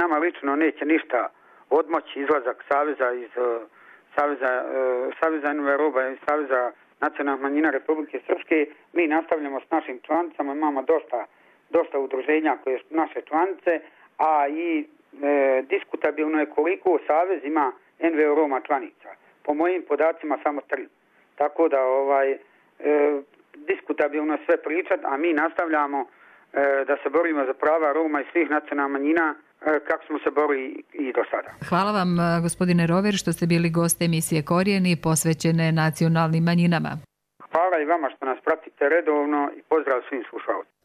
nama lično neće ništa odmoći izlazak Saveza iz Saveza, e, Saveza Roma i Saveza nacionalnih manjina Republike Srpske. Mi nastavljamo s našim članicama, imamo dosta dosta udruženja koje su naše članice, a i e, diskutabilno je koliko Savez ima en ve o Roma članica. Po mojim podacima samo tri. Tako da ovaj e, diskutabilno je sve pričat, a mi nastavljamo e, da se borimo za prava Roma i svih nacionalnih manjina e, kako smo se borili i do sada. Hvala vam, gospodine Rover, što ste bili gost emisije Korijeni posvećene nacionalnim manjinama. Hvala i vama što nas pratite redovno i pozdrav svim slušalcima.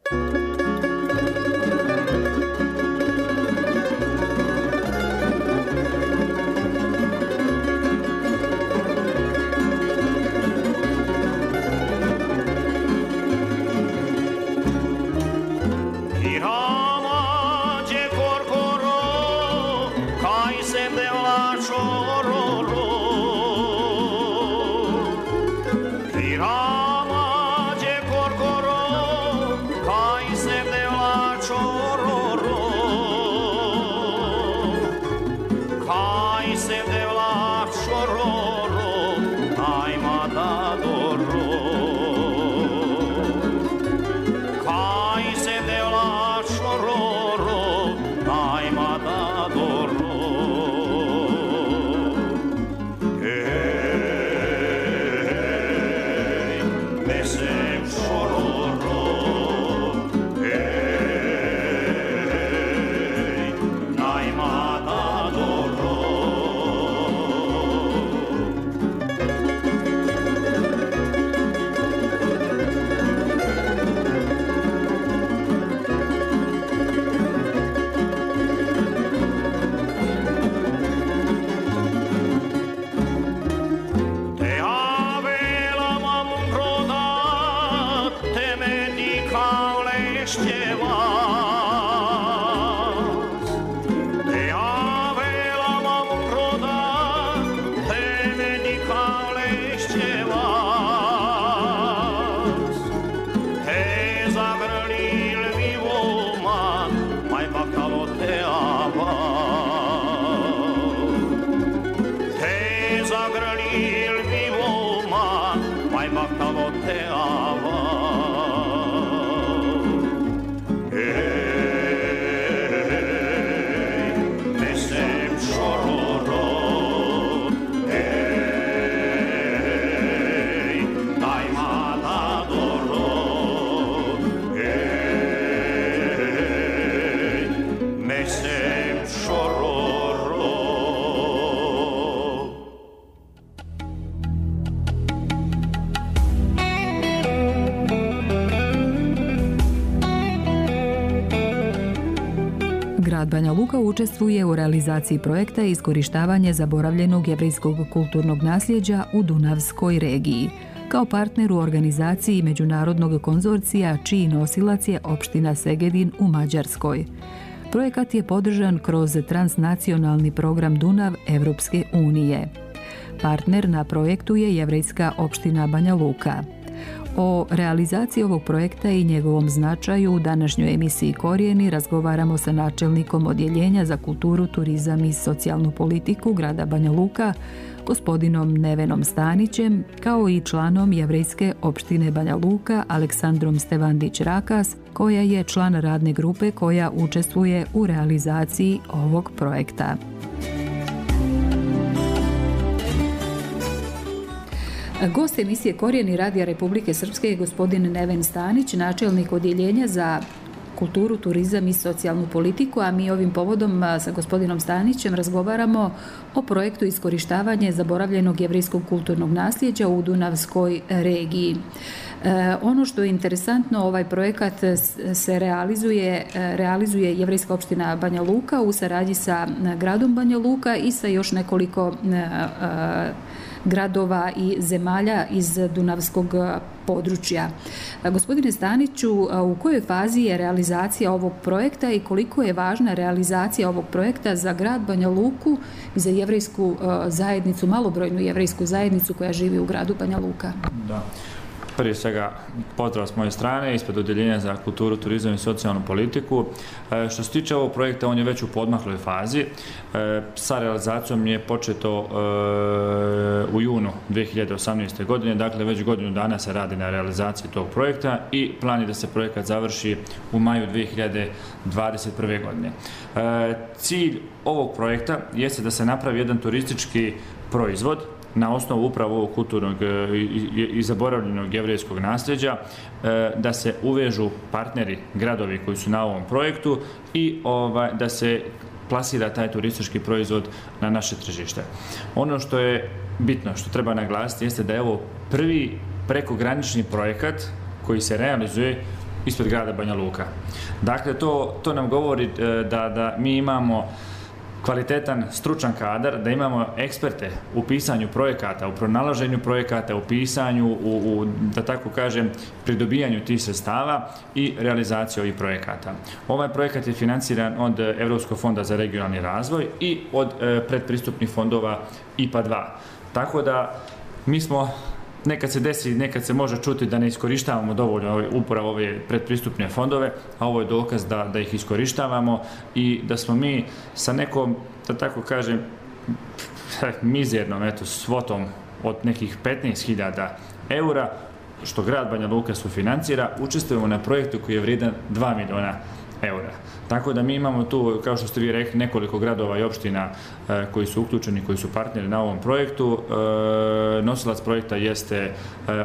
Grad Banja Luka učestvuje u realizaciji projekta Iskorištavanje zaboravljenog jevrejskog kulturnog nasljeđa u Dunavskoj regiji, kao partner u organizaciji međunarodnog konzorcija čiji nosilac je opština Segedin u Mađarskoj. Projekat je podržan kroz transnacionalni program Dunav Evropske unije. Partner na projektu je jevrejska opština Banja Luka. O realizaciji ovog projekta i njegovom značaju u današnjoj emisiji Korijeni razgovaramo sa načelnikom Odjeljenja za kulturu, turizam i socijalnu politiku grada Banja Luka, gospodinom Nevenom Stanićem, kao i članom jevrejske opštine Banja Luka Aleksandrom Stevandić-Rakas, koja je član radne grupe koja učestvuje u realizaciji ovog projekta. Gost emisije Korijeni Radija Republike Srpske je gospodin Neven Stanić, načelnik Odjeljenja za kulturu, turizam i socijalnu politiku, a mi ovim povodom sa gospodinom Stanićem razgovaramo o projektu Iskorištavanje zaboravljenog jevrejskog kulturnog nasljeđa u Dunavskoj regiji. E, ono što je interesantno, ovaj projekat se realizuje, realizuje jevrejska opština Banja Luka u saradnji sa gradom Banja Luka i sa još nekoliko e, gradova i zemalja iz Dunavskog područja. Gospodine Staniću, u kojoj fazi je realizacija ovog projekta i koliko je važna realizacija ovog projekta za grad Banja Luku i za jevrejsku zajednicu, malobrojnu jevrejsku zajednicu koja živi u gradu Banja Luka? Da. Prije svega pozdrav s moje strane ispred Odjeljenja za kulturu, turizam i socijalnu politiku. E, što se tiče ovog projekta, on je već u podmakloj fazi. E, sa realizacijom je početo e, u junu dvije hiljade osamnaeste. godine, dakle već godinu dana se radi na realizaciji tog projekta i plan je da se projekat završi u maju dvije hiljade dvadeset prve. godine. E, cilj ovog projekta jeste da se napravi jedan turistički proizvod na osnovu upravo ovog kulturnog i zaboravljenog jevrejskog nasljeđa, da se uvežu partneri, gradovi koji su na ovom projektu i ovaj, da se plasira taj turistički proizvod na naše tržište. Ono što je bitno, što treba naglasiti, jeste da je ovo prvi prekogranični projekat koji se realizuje ispred grada Banja Luka. Dakle, to, to nam govori da, da mi imamo kvalitetan, stručan kadar, da imamo eksperte u pisanju projekata, u pronalaženju projekata, u pisanju, u, u, da tako kažem, pridobijanju tih sredstava i realizaciju ovih projekata. Ovaj projekat je financiran od Evropskog fonda za regionalni razvoj i od e, predpristupnih fondova I P A dva. Tako da mi smo, nekad se desi, nekad se može čuti da ne iskorištavamo dovoljno upravo ove predpristupne fondove, a ovo je dokaz da, da ih iskorištavamo i da smo mi sa nekom, da tako kažem, mizernom eto, svotom od nekih petnaest hiljada eura, što grad Banja Luka sufinancira, učestvujemo na projektu koji je vrijedan dva miliona eura. Tako da mi imamo tu, kao što ste vi rekli, nekoliko gradova i opština e, koji su uključeni, koji su partneri na ovom projektu. E, nosilac projekta jeste e,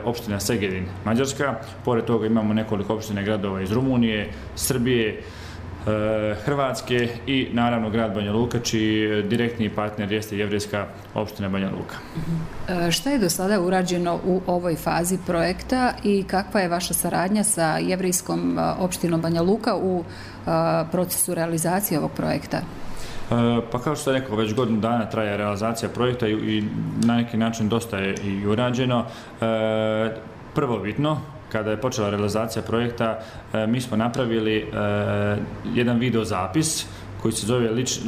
opština Segedin, Mađarska. Pored toga imamo nekoliko opština i gradova iz Rumunije, Srbije, e, Hrvatske i naravno grad Banja Luka, čiji direktni partner jeste jevrejska opština Banja Luka. E, šta je do sada urađeno u ovoj fazi projekta i kakva je vaša saradnja sa jevrejskom opštinom Banja Luka u procesu realizacije ovog projekta? Pa kao što sam rekao, već godinu dana traje realizacija projekta i na neki način dosta je i urađeno. Prvobitno, kada je počela realizacija projekta, mi smo napravili jedan videozapis koji se zove lič,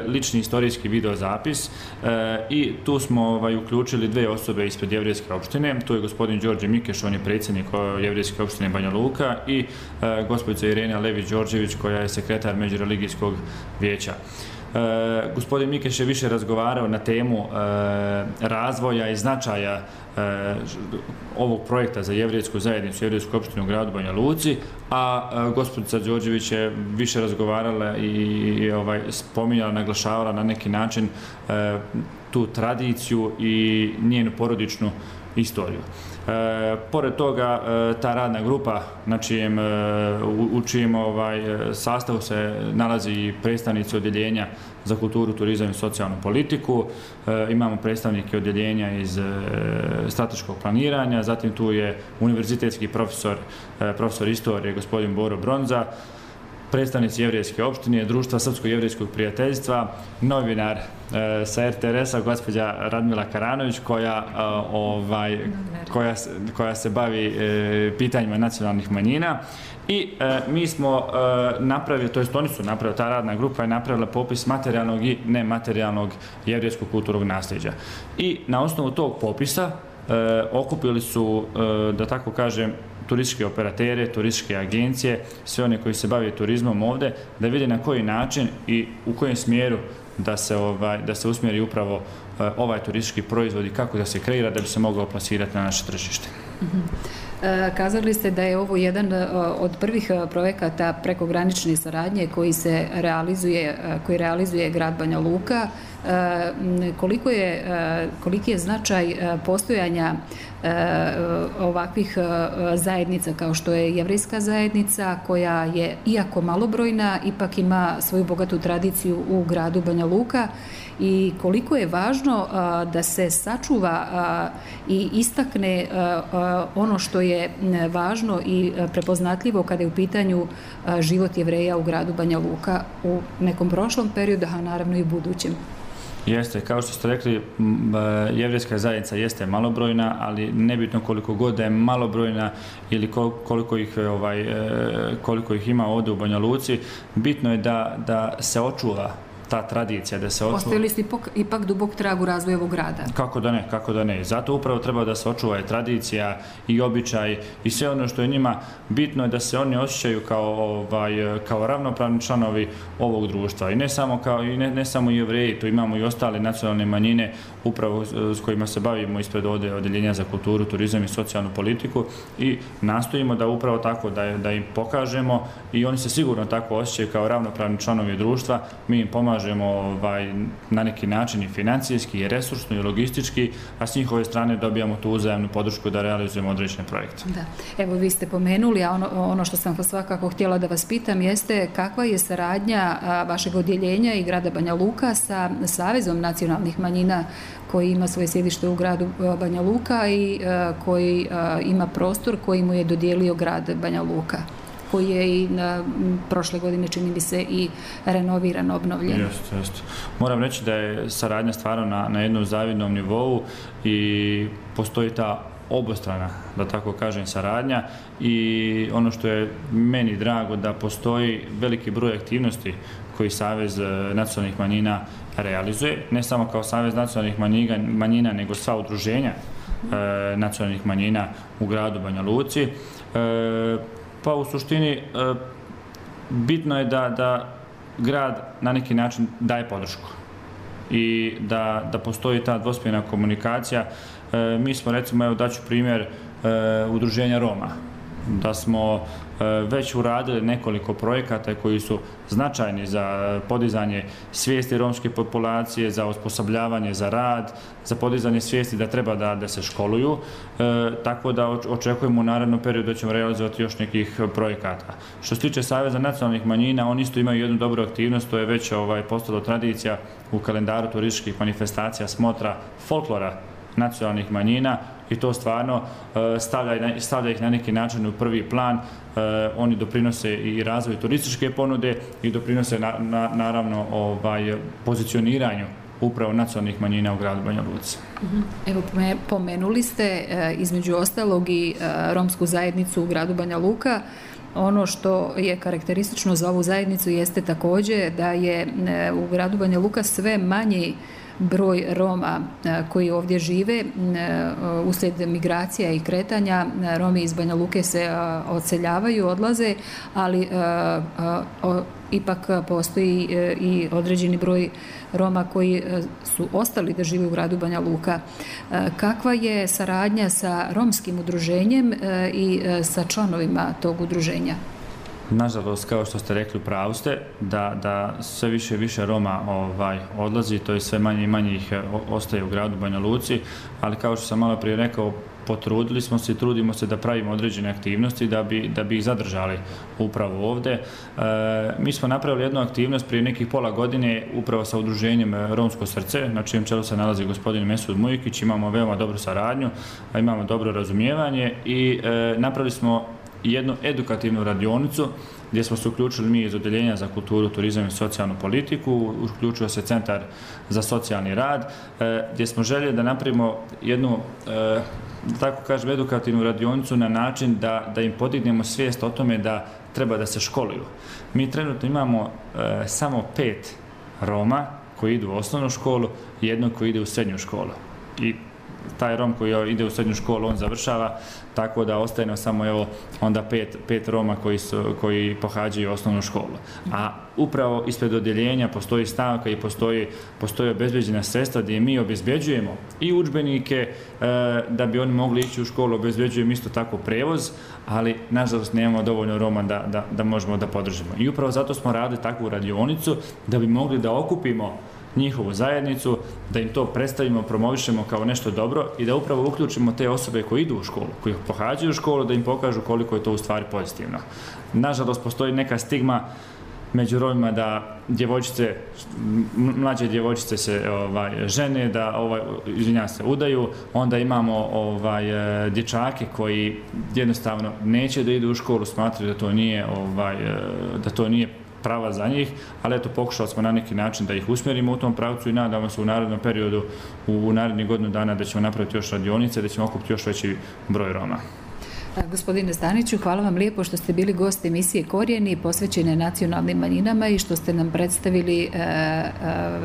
lični istorijski videozapis e, i tu smo ovaj, uključili dve osobe ispred jevrejske opštine. Tu je gospodin Đorđe Mikeš, on je predsjednik jevrejske opštine Banja Luka i e, gospođa Irena Lević-Đorđević koja je sekretar međureligijskog vijeća. E, gospodin Mikeš je više razgovarao na temu e, razvoja i značaja e, ovog projekta za jevrejsku zajednicu, jevrejsku opštinu u gradu Banja Luci, a e, gospođica Đorđević je više razgovarala i, i ovaj, spominjala, naglašavala na neki način e, tu tradiciju i njenu porodičnu istoriju. E, pored toga, e, ta radna grupa na čijem, e, u, u čijem ovaj, sastavu se nalazi i predstavnici odjeljenja za kulturu, turizam i socijalnu politiku. E, imamo predstavnike odjeljenja iz e, strateškog planiranja, zatim tu je univerzitetski profesor, e, profesor istorije, gospodin Boro Bronza, predstavnici jevrejske opštine, društva Srpsko-jevrejskog prijateljstva, novinar e, sa R T R S-a, gospođa Radmila Karanović, koja, e, ovaj, koja, koja se bavi e, pitanjima nacionalnih manjina. I e, mi smo e, napravili, to jest oni su napravili, ta radna grupa je napravila popis materijalnog i nematerijalnog jevrejskog kulturnog nasljeđa. I na osnovu tog popisa e, okupili su, e, da tako kažem, turističke operatere, turističke agencije, sve one koji se bave turizmom ovde, da vide na koji način i u kojem smjeru da se, ovaj, da se usmjeri upravo uh, ovaj turistički proizvod i kako da se kreira da bi se mogao plasirati na naše tržište. Mm-hmm. Kazali ste da je ovo jedan od prvih projekata prekogranične saradnje koji se realizuje, koji realizuje grad Banja Luka. Koliko je, koliki je značaj postojanja ovakvih zajednica kao što je jevrejska zajednica, koja je, iako malobrojna, ipak ima svoju bogatu tradiciju u gradu Banja Luka, i koliko je važno da se sačuva i istakne ono što je važno i prepoznatljivo kada je u pitanju život Jevreja u gradu Banja Luka u nekom prošlom periodu, a naravno i u budućem. Jeste, kao što ste rekli, jevrejska zajednica jeste malobrojna, ali nebitno koliko god da je malobrojna ili koliko ih, ovaj, koliko ih ima ovdje u Banja Luci, bitno je da, da se očuva ta tradicija, da se očuva. Ostavili ste ipak, ipak dubok trag u razvoju ovog grada. Kako da ne, kako da ne. Zato upravo treba da se očuva i tradicija i običaj i sve ono što je njima bitno je da se oni osjećaju kao, ovaj, kao ravnopravni članovi ovog društva. I ne samo, kao, i ne, ne samo Jevreji, tu imamo i ostale nacionalne manjine upravo s kojima se bavimo ispred ovdje odjeljenja za kulturu, turizam i socijalnu politiku i nastojimo da upravo tako da, da im pokažemo i oni se sigurno tako osjećaju kao ravnopravni članovi društva. Mi im pomažemo Ovaj, na neki način i financijski, i resursno, i logistički, a s njihove strane dobijamo tu uzajamnu podršku da realizujemo određene projekte. Da. Evo, vi ste pomenuli, a ono, ono što sam svakako htjela da vas pitam jeste kakva je saradnja a, vašeg odjeljenja i grada Banja Luka sa Savezom nacionalnih manjina koji ima svoje sjedište u gradu Banja Luka i a, koji a, ima prostor koji mu je dodijelio grad Banja Luka. koji je i na prošle godine, čini mi se, i renoviran, obnovljen. Jeste, jeste. Moram reći da je saradnja stvarno na, na jednom zavidnom nivou i postoji ta obostrana, da tako kažem, saradnja i ono što je meni drago da postoji veliki broj aktivnosti koji Savez nacionalnih manjina realizuje, ne samo kao Savez nacionalnih manjina, nego sva udruženja e, nacionalnih manjina u gradu Banja Luci. E, pa u suštini e, bitno je da, da grad na neki način daje podršku i da, da postoji ta dvosmjerna komunikacija. E, mi smo, recimo, evo daću primjer e, udruženja Roma, da smo e, već uradili nekoliko projekata koji su značajni za podizanje svijesti romske populacije, za osposobljavanje za rad, za podizanje svijesti da treba da, da se školuju, e, tako da očekujemo u narednom periodu da ćemo realizovati još nekih projekata. Što se tiče Saveza nacionalnih manjina, oni isto imaju jednu dobru aktivnost, to je već ovaj, postalo tradicija u kalendaru turističkih manifestacija, smotra folklora nacionalnih manjina i to stvarno stavlja, stavlja ih na neki način u prvi plan. Oni doprinose i razvoju turističke ponude i doprinose na, na, naravno ovaj, pozicioniranju upravo nacionalnih manjina u gradu Banja Luci. Evo, pomenuli ste između ostalog i romsku zajednicu u gradu Banja Luka. Ono što je karakteristično za ovu zajednicu jeste također da je u gradu Banja Luka sve manji broj Roma koji ovdje žive. Uslijed migracija i kretanja Romi iz Banja Luke se odseljavaju, odlaze, ali ipak postoji i određeni broj Roma koji su ostali da žive u gradu Banja Luka. Kakva je saradnja sa romskim udruženjem i sa članovima tog udruženja? Nažalost, kao što ste rekli, upravu ste da, da sve više i više Roma ovaj, odlazi, to je sve manje i manje ih ostaje u gradu Banja Luci, ali kao što sam malo prije rekao, potrudili smo se i trudimo se da pravimo određene aktivnosti da bi, da bi ih zadržali upravo ovdje. E, mi smo napravili jednu aktivnost prije nekih pola godine upravo sa udruženjem Romsko srce, na čijem čelu se nalazi gospodin Mesud Mujkić, imamo veoma dobru saradnju, imamo dobro razumijevanje i e, napravili smo jednu edukativnu radionicu gdje smo se uključili mi iz Odeljenja za kulturu, turizam i socijalnu politiku, uključio se Centar za socijalni rad, gdje smo željeli da napravimo jednu, tako kažem, edukativnu radionicu na način da, da im podignemo svijest o tome da treba da se školuju. Mi trenutno imamo samo pet Roma koji idu u osnovnu školu i jednog koji ide u srednju školu. I taj Rom koji ide u srednju školu, on završava, tako da ostaje nam samo evo onda pet, pet Roma koji, su, koji pohađaju osnovnu školu. A upravo ispred odjeljenja postoji stavka i postoji, postoji obezbeđena sredstva gdje mi obezbeđujemo i udžbenike e, da bi oni mogli ići u školu, obezbeđujemo isto tako prevoz, ali nažalost nemamo dovoljno Roma da, da, da možemo da podržimo. I upravo zato smo radili takvu radionicu da bi mogli da okupimo njihovu zajednicu, da im to predstavimo, promovišemo kao nešto dobro i da upravo uključimo te osobe koji idu u školu, koji pohađaju školu, da im pokažu koliko je to u stvari pozitivno. Nažalost, postoji neka stigma među Romima da djevojčice, mlađe djevojčice se ovaj, žene, da ovaj, izvinjam se, udaju, onda imamo ovaj, dječake koji jednostavno neće da idu u školu, smatraju da to nije, ovaj, da to nije prava za njih, ali eto, pokušali smo na neki način da ih usmjerimo u tom pravcu i nadamo se u narednom periodu, u, u narednih godinu dana da ćemo napraviti još radionice, da ćemo okupiti još veći broj Roma. Gospodine Staniću, hvala vam lijepo što ste bili gost emisije Korijeni posvećene nacionalnim manjinama i što ste nam predstavili e, e,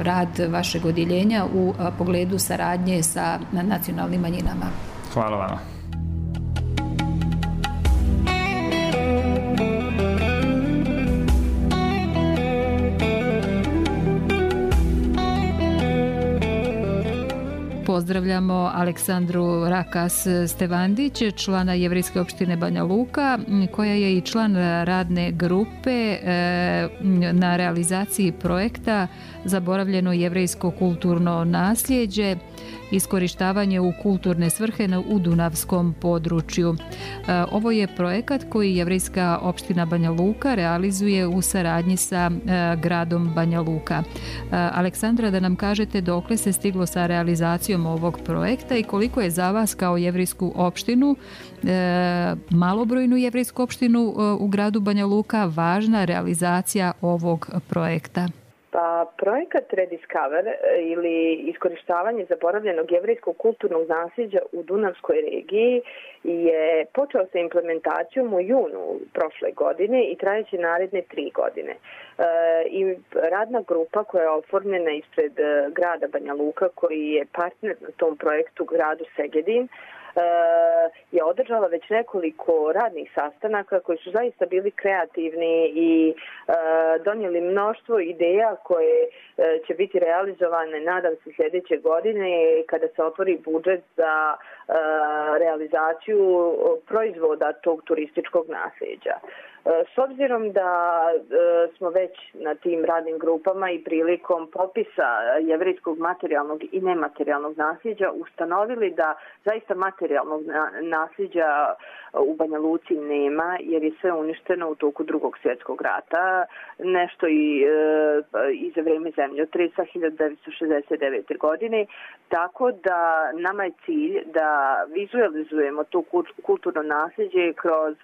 rad vašeg odjeljenja u a, pogledu saradnje sa nacionalnim manjinama. Hvala vama. Pozdravljamo Aleksandru Rakas Stevandić, člana Jevrejske opštine Banja Luka, koja je i član radne grupe na realizaciji projekta zaboravljeno jevrejsko kulturno nasljeđe, iskorištavanje u kulturne svrhe u Dunavskom području. Ovo je projekat koji jevrejska opština Banja Luka realizuje u saradnji sa gradom Banja Luka. Aleksandra, da nam kažete dokle se stiglo sa realizacijom ovog projekta i koliko je za vas kao jevrejsku opštinu, malobrojnu jevrejsku opštinu u gradu Banja Luka, važna realizacija ovog projekta? Pa, projekat Rediscover ili iskorištavanje zaboravljenog jevrejskog kulturnog nasljeđa u Dunavskoj regiji je počeo sa implementacijom u junu prošle godine i trajeće naredne tri godine. E, I radna grupa koja je oformljena ispred grada Banja Luka, koji je partner na tom projektu gradu Segedin, je održala već nekoliko radnih sastanaka koji su zaista bili kreativni i donijeli mnoštvo ideja koje će biti realizovane, nadam se, sljedeće godine kada se otvori budžet za realizaciju proizvoda tog turističkog nasljeđa. S obzirom da smo već na tim radnim grupama i prilikom popisa jevrejskog materijalnog i nematerijalnog nasljeđa ustanovili da zaista materijalnog nasljeđa u Banja Luci nema, jer je sve uništeno u toku Drugog svjetskog rata, nešto i, i za vreme zemljotresa hiljadu devetsto šezdeset devete. godine, tako da nama je cilj da vizualizujemo to kulturno nasljeđe kroz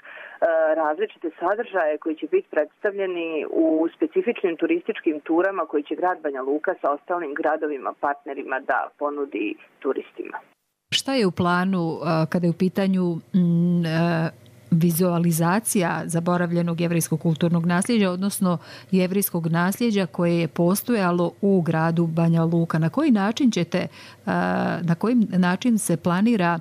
različite sadržaje koji će biti predstavljeni u specifičnim turističkim turama koji će grad Banja Luka sa ostalim gradovima partnerima da ponudi turistima. Šta je u planu kada je u pitanju vizualizacija zaboravljenog jevrejskog kulturnog nasljeđa, odnosno jevrejskog nasljeđa koje je postojalo u gradu Banja Luka? Na koji način ćete, na koji način se planira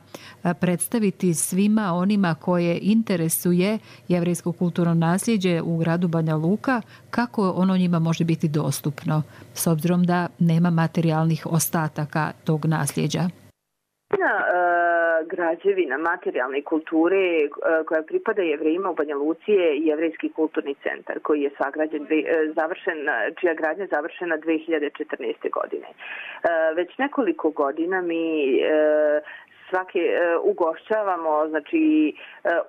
predstaviti svima onima koje interesuje jevrejsko kulturno nasljeđe u gradu Banja Luka, kako ono njima može biti dostupno, s obzirom da nema materijalnih ostataka tog nasljeđa? Građevina materijalne kulture koja pripada Jevrejima u Banja Luci je Jevrejski kulturni centar koji je sagrađen, završen, čija gradnja završena dve hiljade četrnaeste. godine. Već nekoliko godina mi svake ugošćavamo, znači,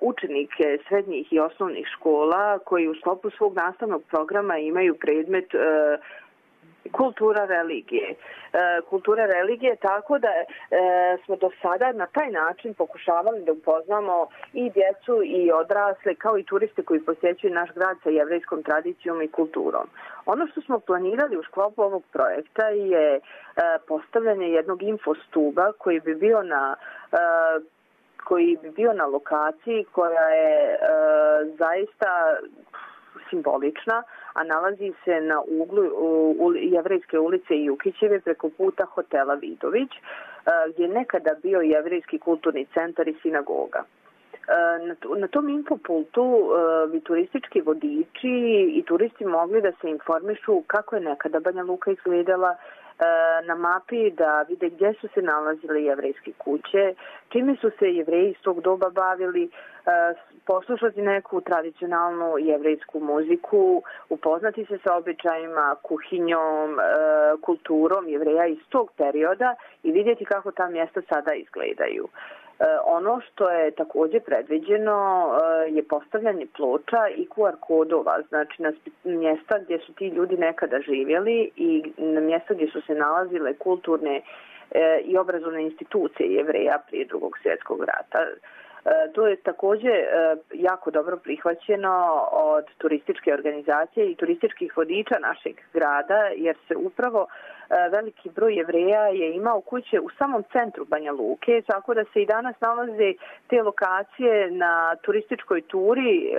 učenike srednjih i osnovnih škola koji u sklopu svog nastavnog programa imaju predmet kultura religije. Kultura religije, tako da e, smo do sada na taj način pokušavali da upoznamo i djecu i odrasle, kao i turiste koji posjećuju naš grad sa jevrejskom tradicijom i kulturom. Ono što smo planirali u sklopu ovog projekta je e, postavljanje jednog infostuba koji bi bio na e, koji bi bio na lokaciji koja je e, zaista simbolična, a nalazi se na uglu u Jevrejske ulice i Jukićeve preko puta hotela Vidović, gdje je nekada bio Jevrejski kulturni centar i sinagoga. Na tom infopultu bi turistički vodiči i turisti mogli da se informišu kako je nekada Banja Luka izgledala, na mapi da vide gdje su se nalazile jevrejske kuće, čime su se Jevreji iz tog doba bavili, poslušati neku tradicionalnu jevrejsku muziku, upoznati se sa običajima, kuhinjom, kulturom Jevreja iz tog perioda i vidjeti kako ta mjesta sada izgledaju. Ono što je također predviđeno je postavljanje ploča i ku ar kodova, znači na mjesta gdje su ti ljudi nekada živjeli i na mjesta gdje su se nalazile kulturne i obrazovne institucije Jevreja prije Drugog svjetskog rata. To je također jako dobro prihvaćeno od turističke organizacije i turističkih vodiča našeg grada, jer se upravo veliki broj Jevreja je imao kuće u samom centru Banja Luke, tako da se i danas nalaze te lokacije na turističkoj turi e,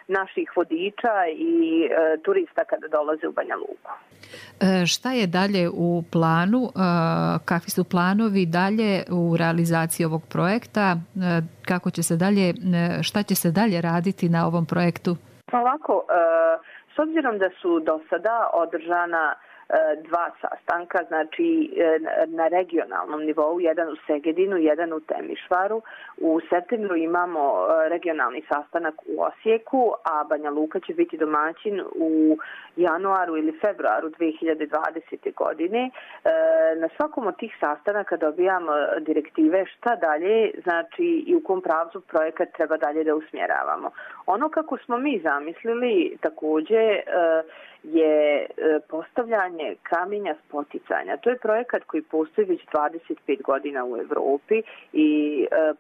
naših vodiča i e, turista kada dolaze u Banja Luku. E, šta je dalje u planu? E, kakvi su planovi dalje u realizaciji ovog projekta? E, kako će se dalje, e, šta će se dalje raditi na ovom projektu? Ovako, e, s obzirom da su do sada održana dva sastanka, znači na regionalnom nivou, jedan u Segedinu, jedan u Temišvaru. U septembru imamo regionalni sastanak u Osijeku, a Banja Luka će biti domaćin u januaru ili februaru dve hiljade dvadesete. godine. Na svakom od tih sastanaka dobijamo direktive šta dalje, znači i u kom pravcu projekat treba dalje da usmjeravamo. Ono kako smo mi zamislili također je postavljanje kamenja spoticanja. To je projekat koji postoji već dvadeset pet godina u Evropi i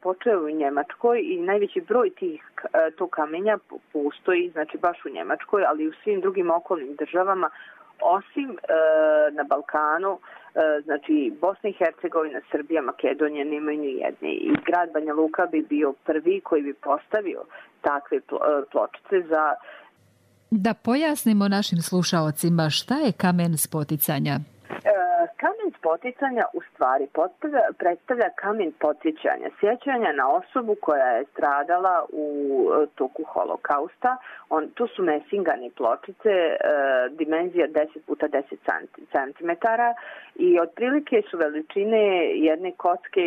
počeo u Njemačkoj i najveći broj tih tog kamenja postoji, znači baš u Njemačkoj, ali i u svim drugim okolnim državama, osim e, na Balkanu, e, znači Bosna i Hercegovina, Srbija, Makedonija nemaju ni jedne. I grad Banja Luka bi bio prvi koji bi postavio takve pločice za... Da pojasnimo našim slušaocima šta je kamen spoticanja. Kamen spoticanja u stvari predstavlja kamen podsjećanja, sjećanja na osobu koja je stradala u toku holokausta. On, to su mesingane pločice, e, dimenzija deset puta deset centimetara i otprilike su veličine jedne kocke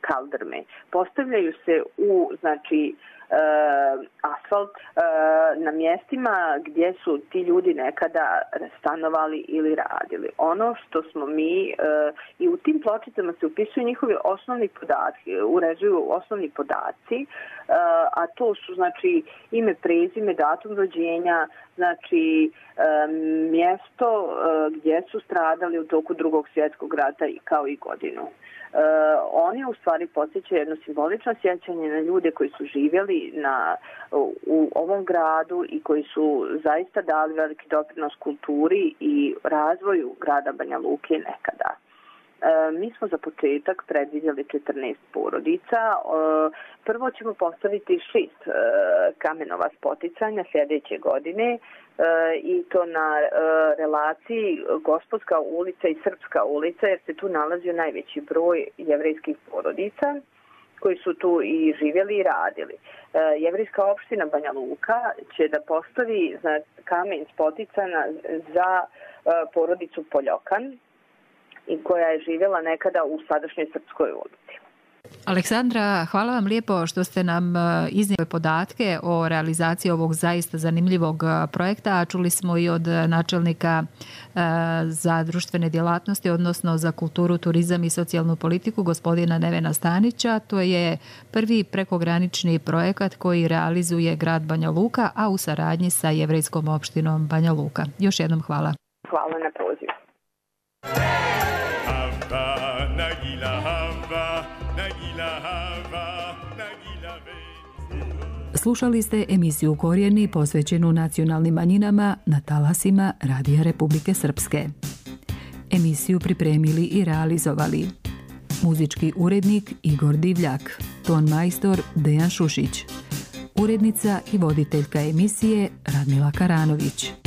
kaldrme. Postavljaju se u, znači, Uh, asfalt uh, na mjestima gdje su ti ljudi nekada stanovali ili radili. Ono što smo mi uh, i u tim pločicama se upisuju njihovi osnovni podaci, uređuju osnovni podaci, uh, a to su znači ime, prezime, datum rođenja, znači um, mjesto uh, gdje su stradali u toku Drugog svjetskog rata i kao i godinu. Uh, oni u stvari podsjećaju jedno simbolično sjećanje na ljude koji su živjeli na, u, u ovom gradu i koji su zaista dali veliki doprinos kulturi i razvoju grada Banja Luke nekada. Uh, mi smo za početak predvidjeli četrnaest porodica. Uh, prvo ćemo postaviti šest uh, kamenova spoticanja sljedeće godine. E, i to na e, relaciji Gospodska ulica i Srpska ulica, jer se tu nalazio najveći broj jevrejskih porodica koji su tu i živjeli i radili. E, jevrejska opština Banja Luka će da postavi za kamen spoticana za e, porodicu Poljokan i koja je živjela nekada u sadašnjoj Srpskoj ulici. Aleksandra, hvala vam lijepo što ste nam iznijeli podatke o realizaciji ovog zaista zanimljivog projekta, a čuli smo i od načelnika za društvene djelatnosti, odnosno za kulturu, turizam i socijalnu politiku, gospodina Nevena Stanića. To je prvi prekogranični projekat koji realizuje grad Banja Luka, a u saradnji sa jevrejskom opštinom Banja Luka. Još jednom hvala. Hvala na pozivu. Slušali ste emisiju Korijeni posvećenu nacionalnim manjinama na talasima Radija Republike Srpske. Emisiju pripremili i realizovali muzički urednik Igor Divljak, ton majstor Dejan Šušić, urednica i voditeljka emisije Radmila Karanović.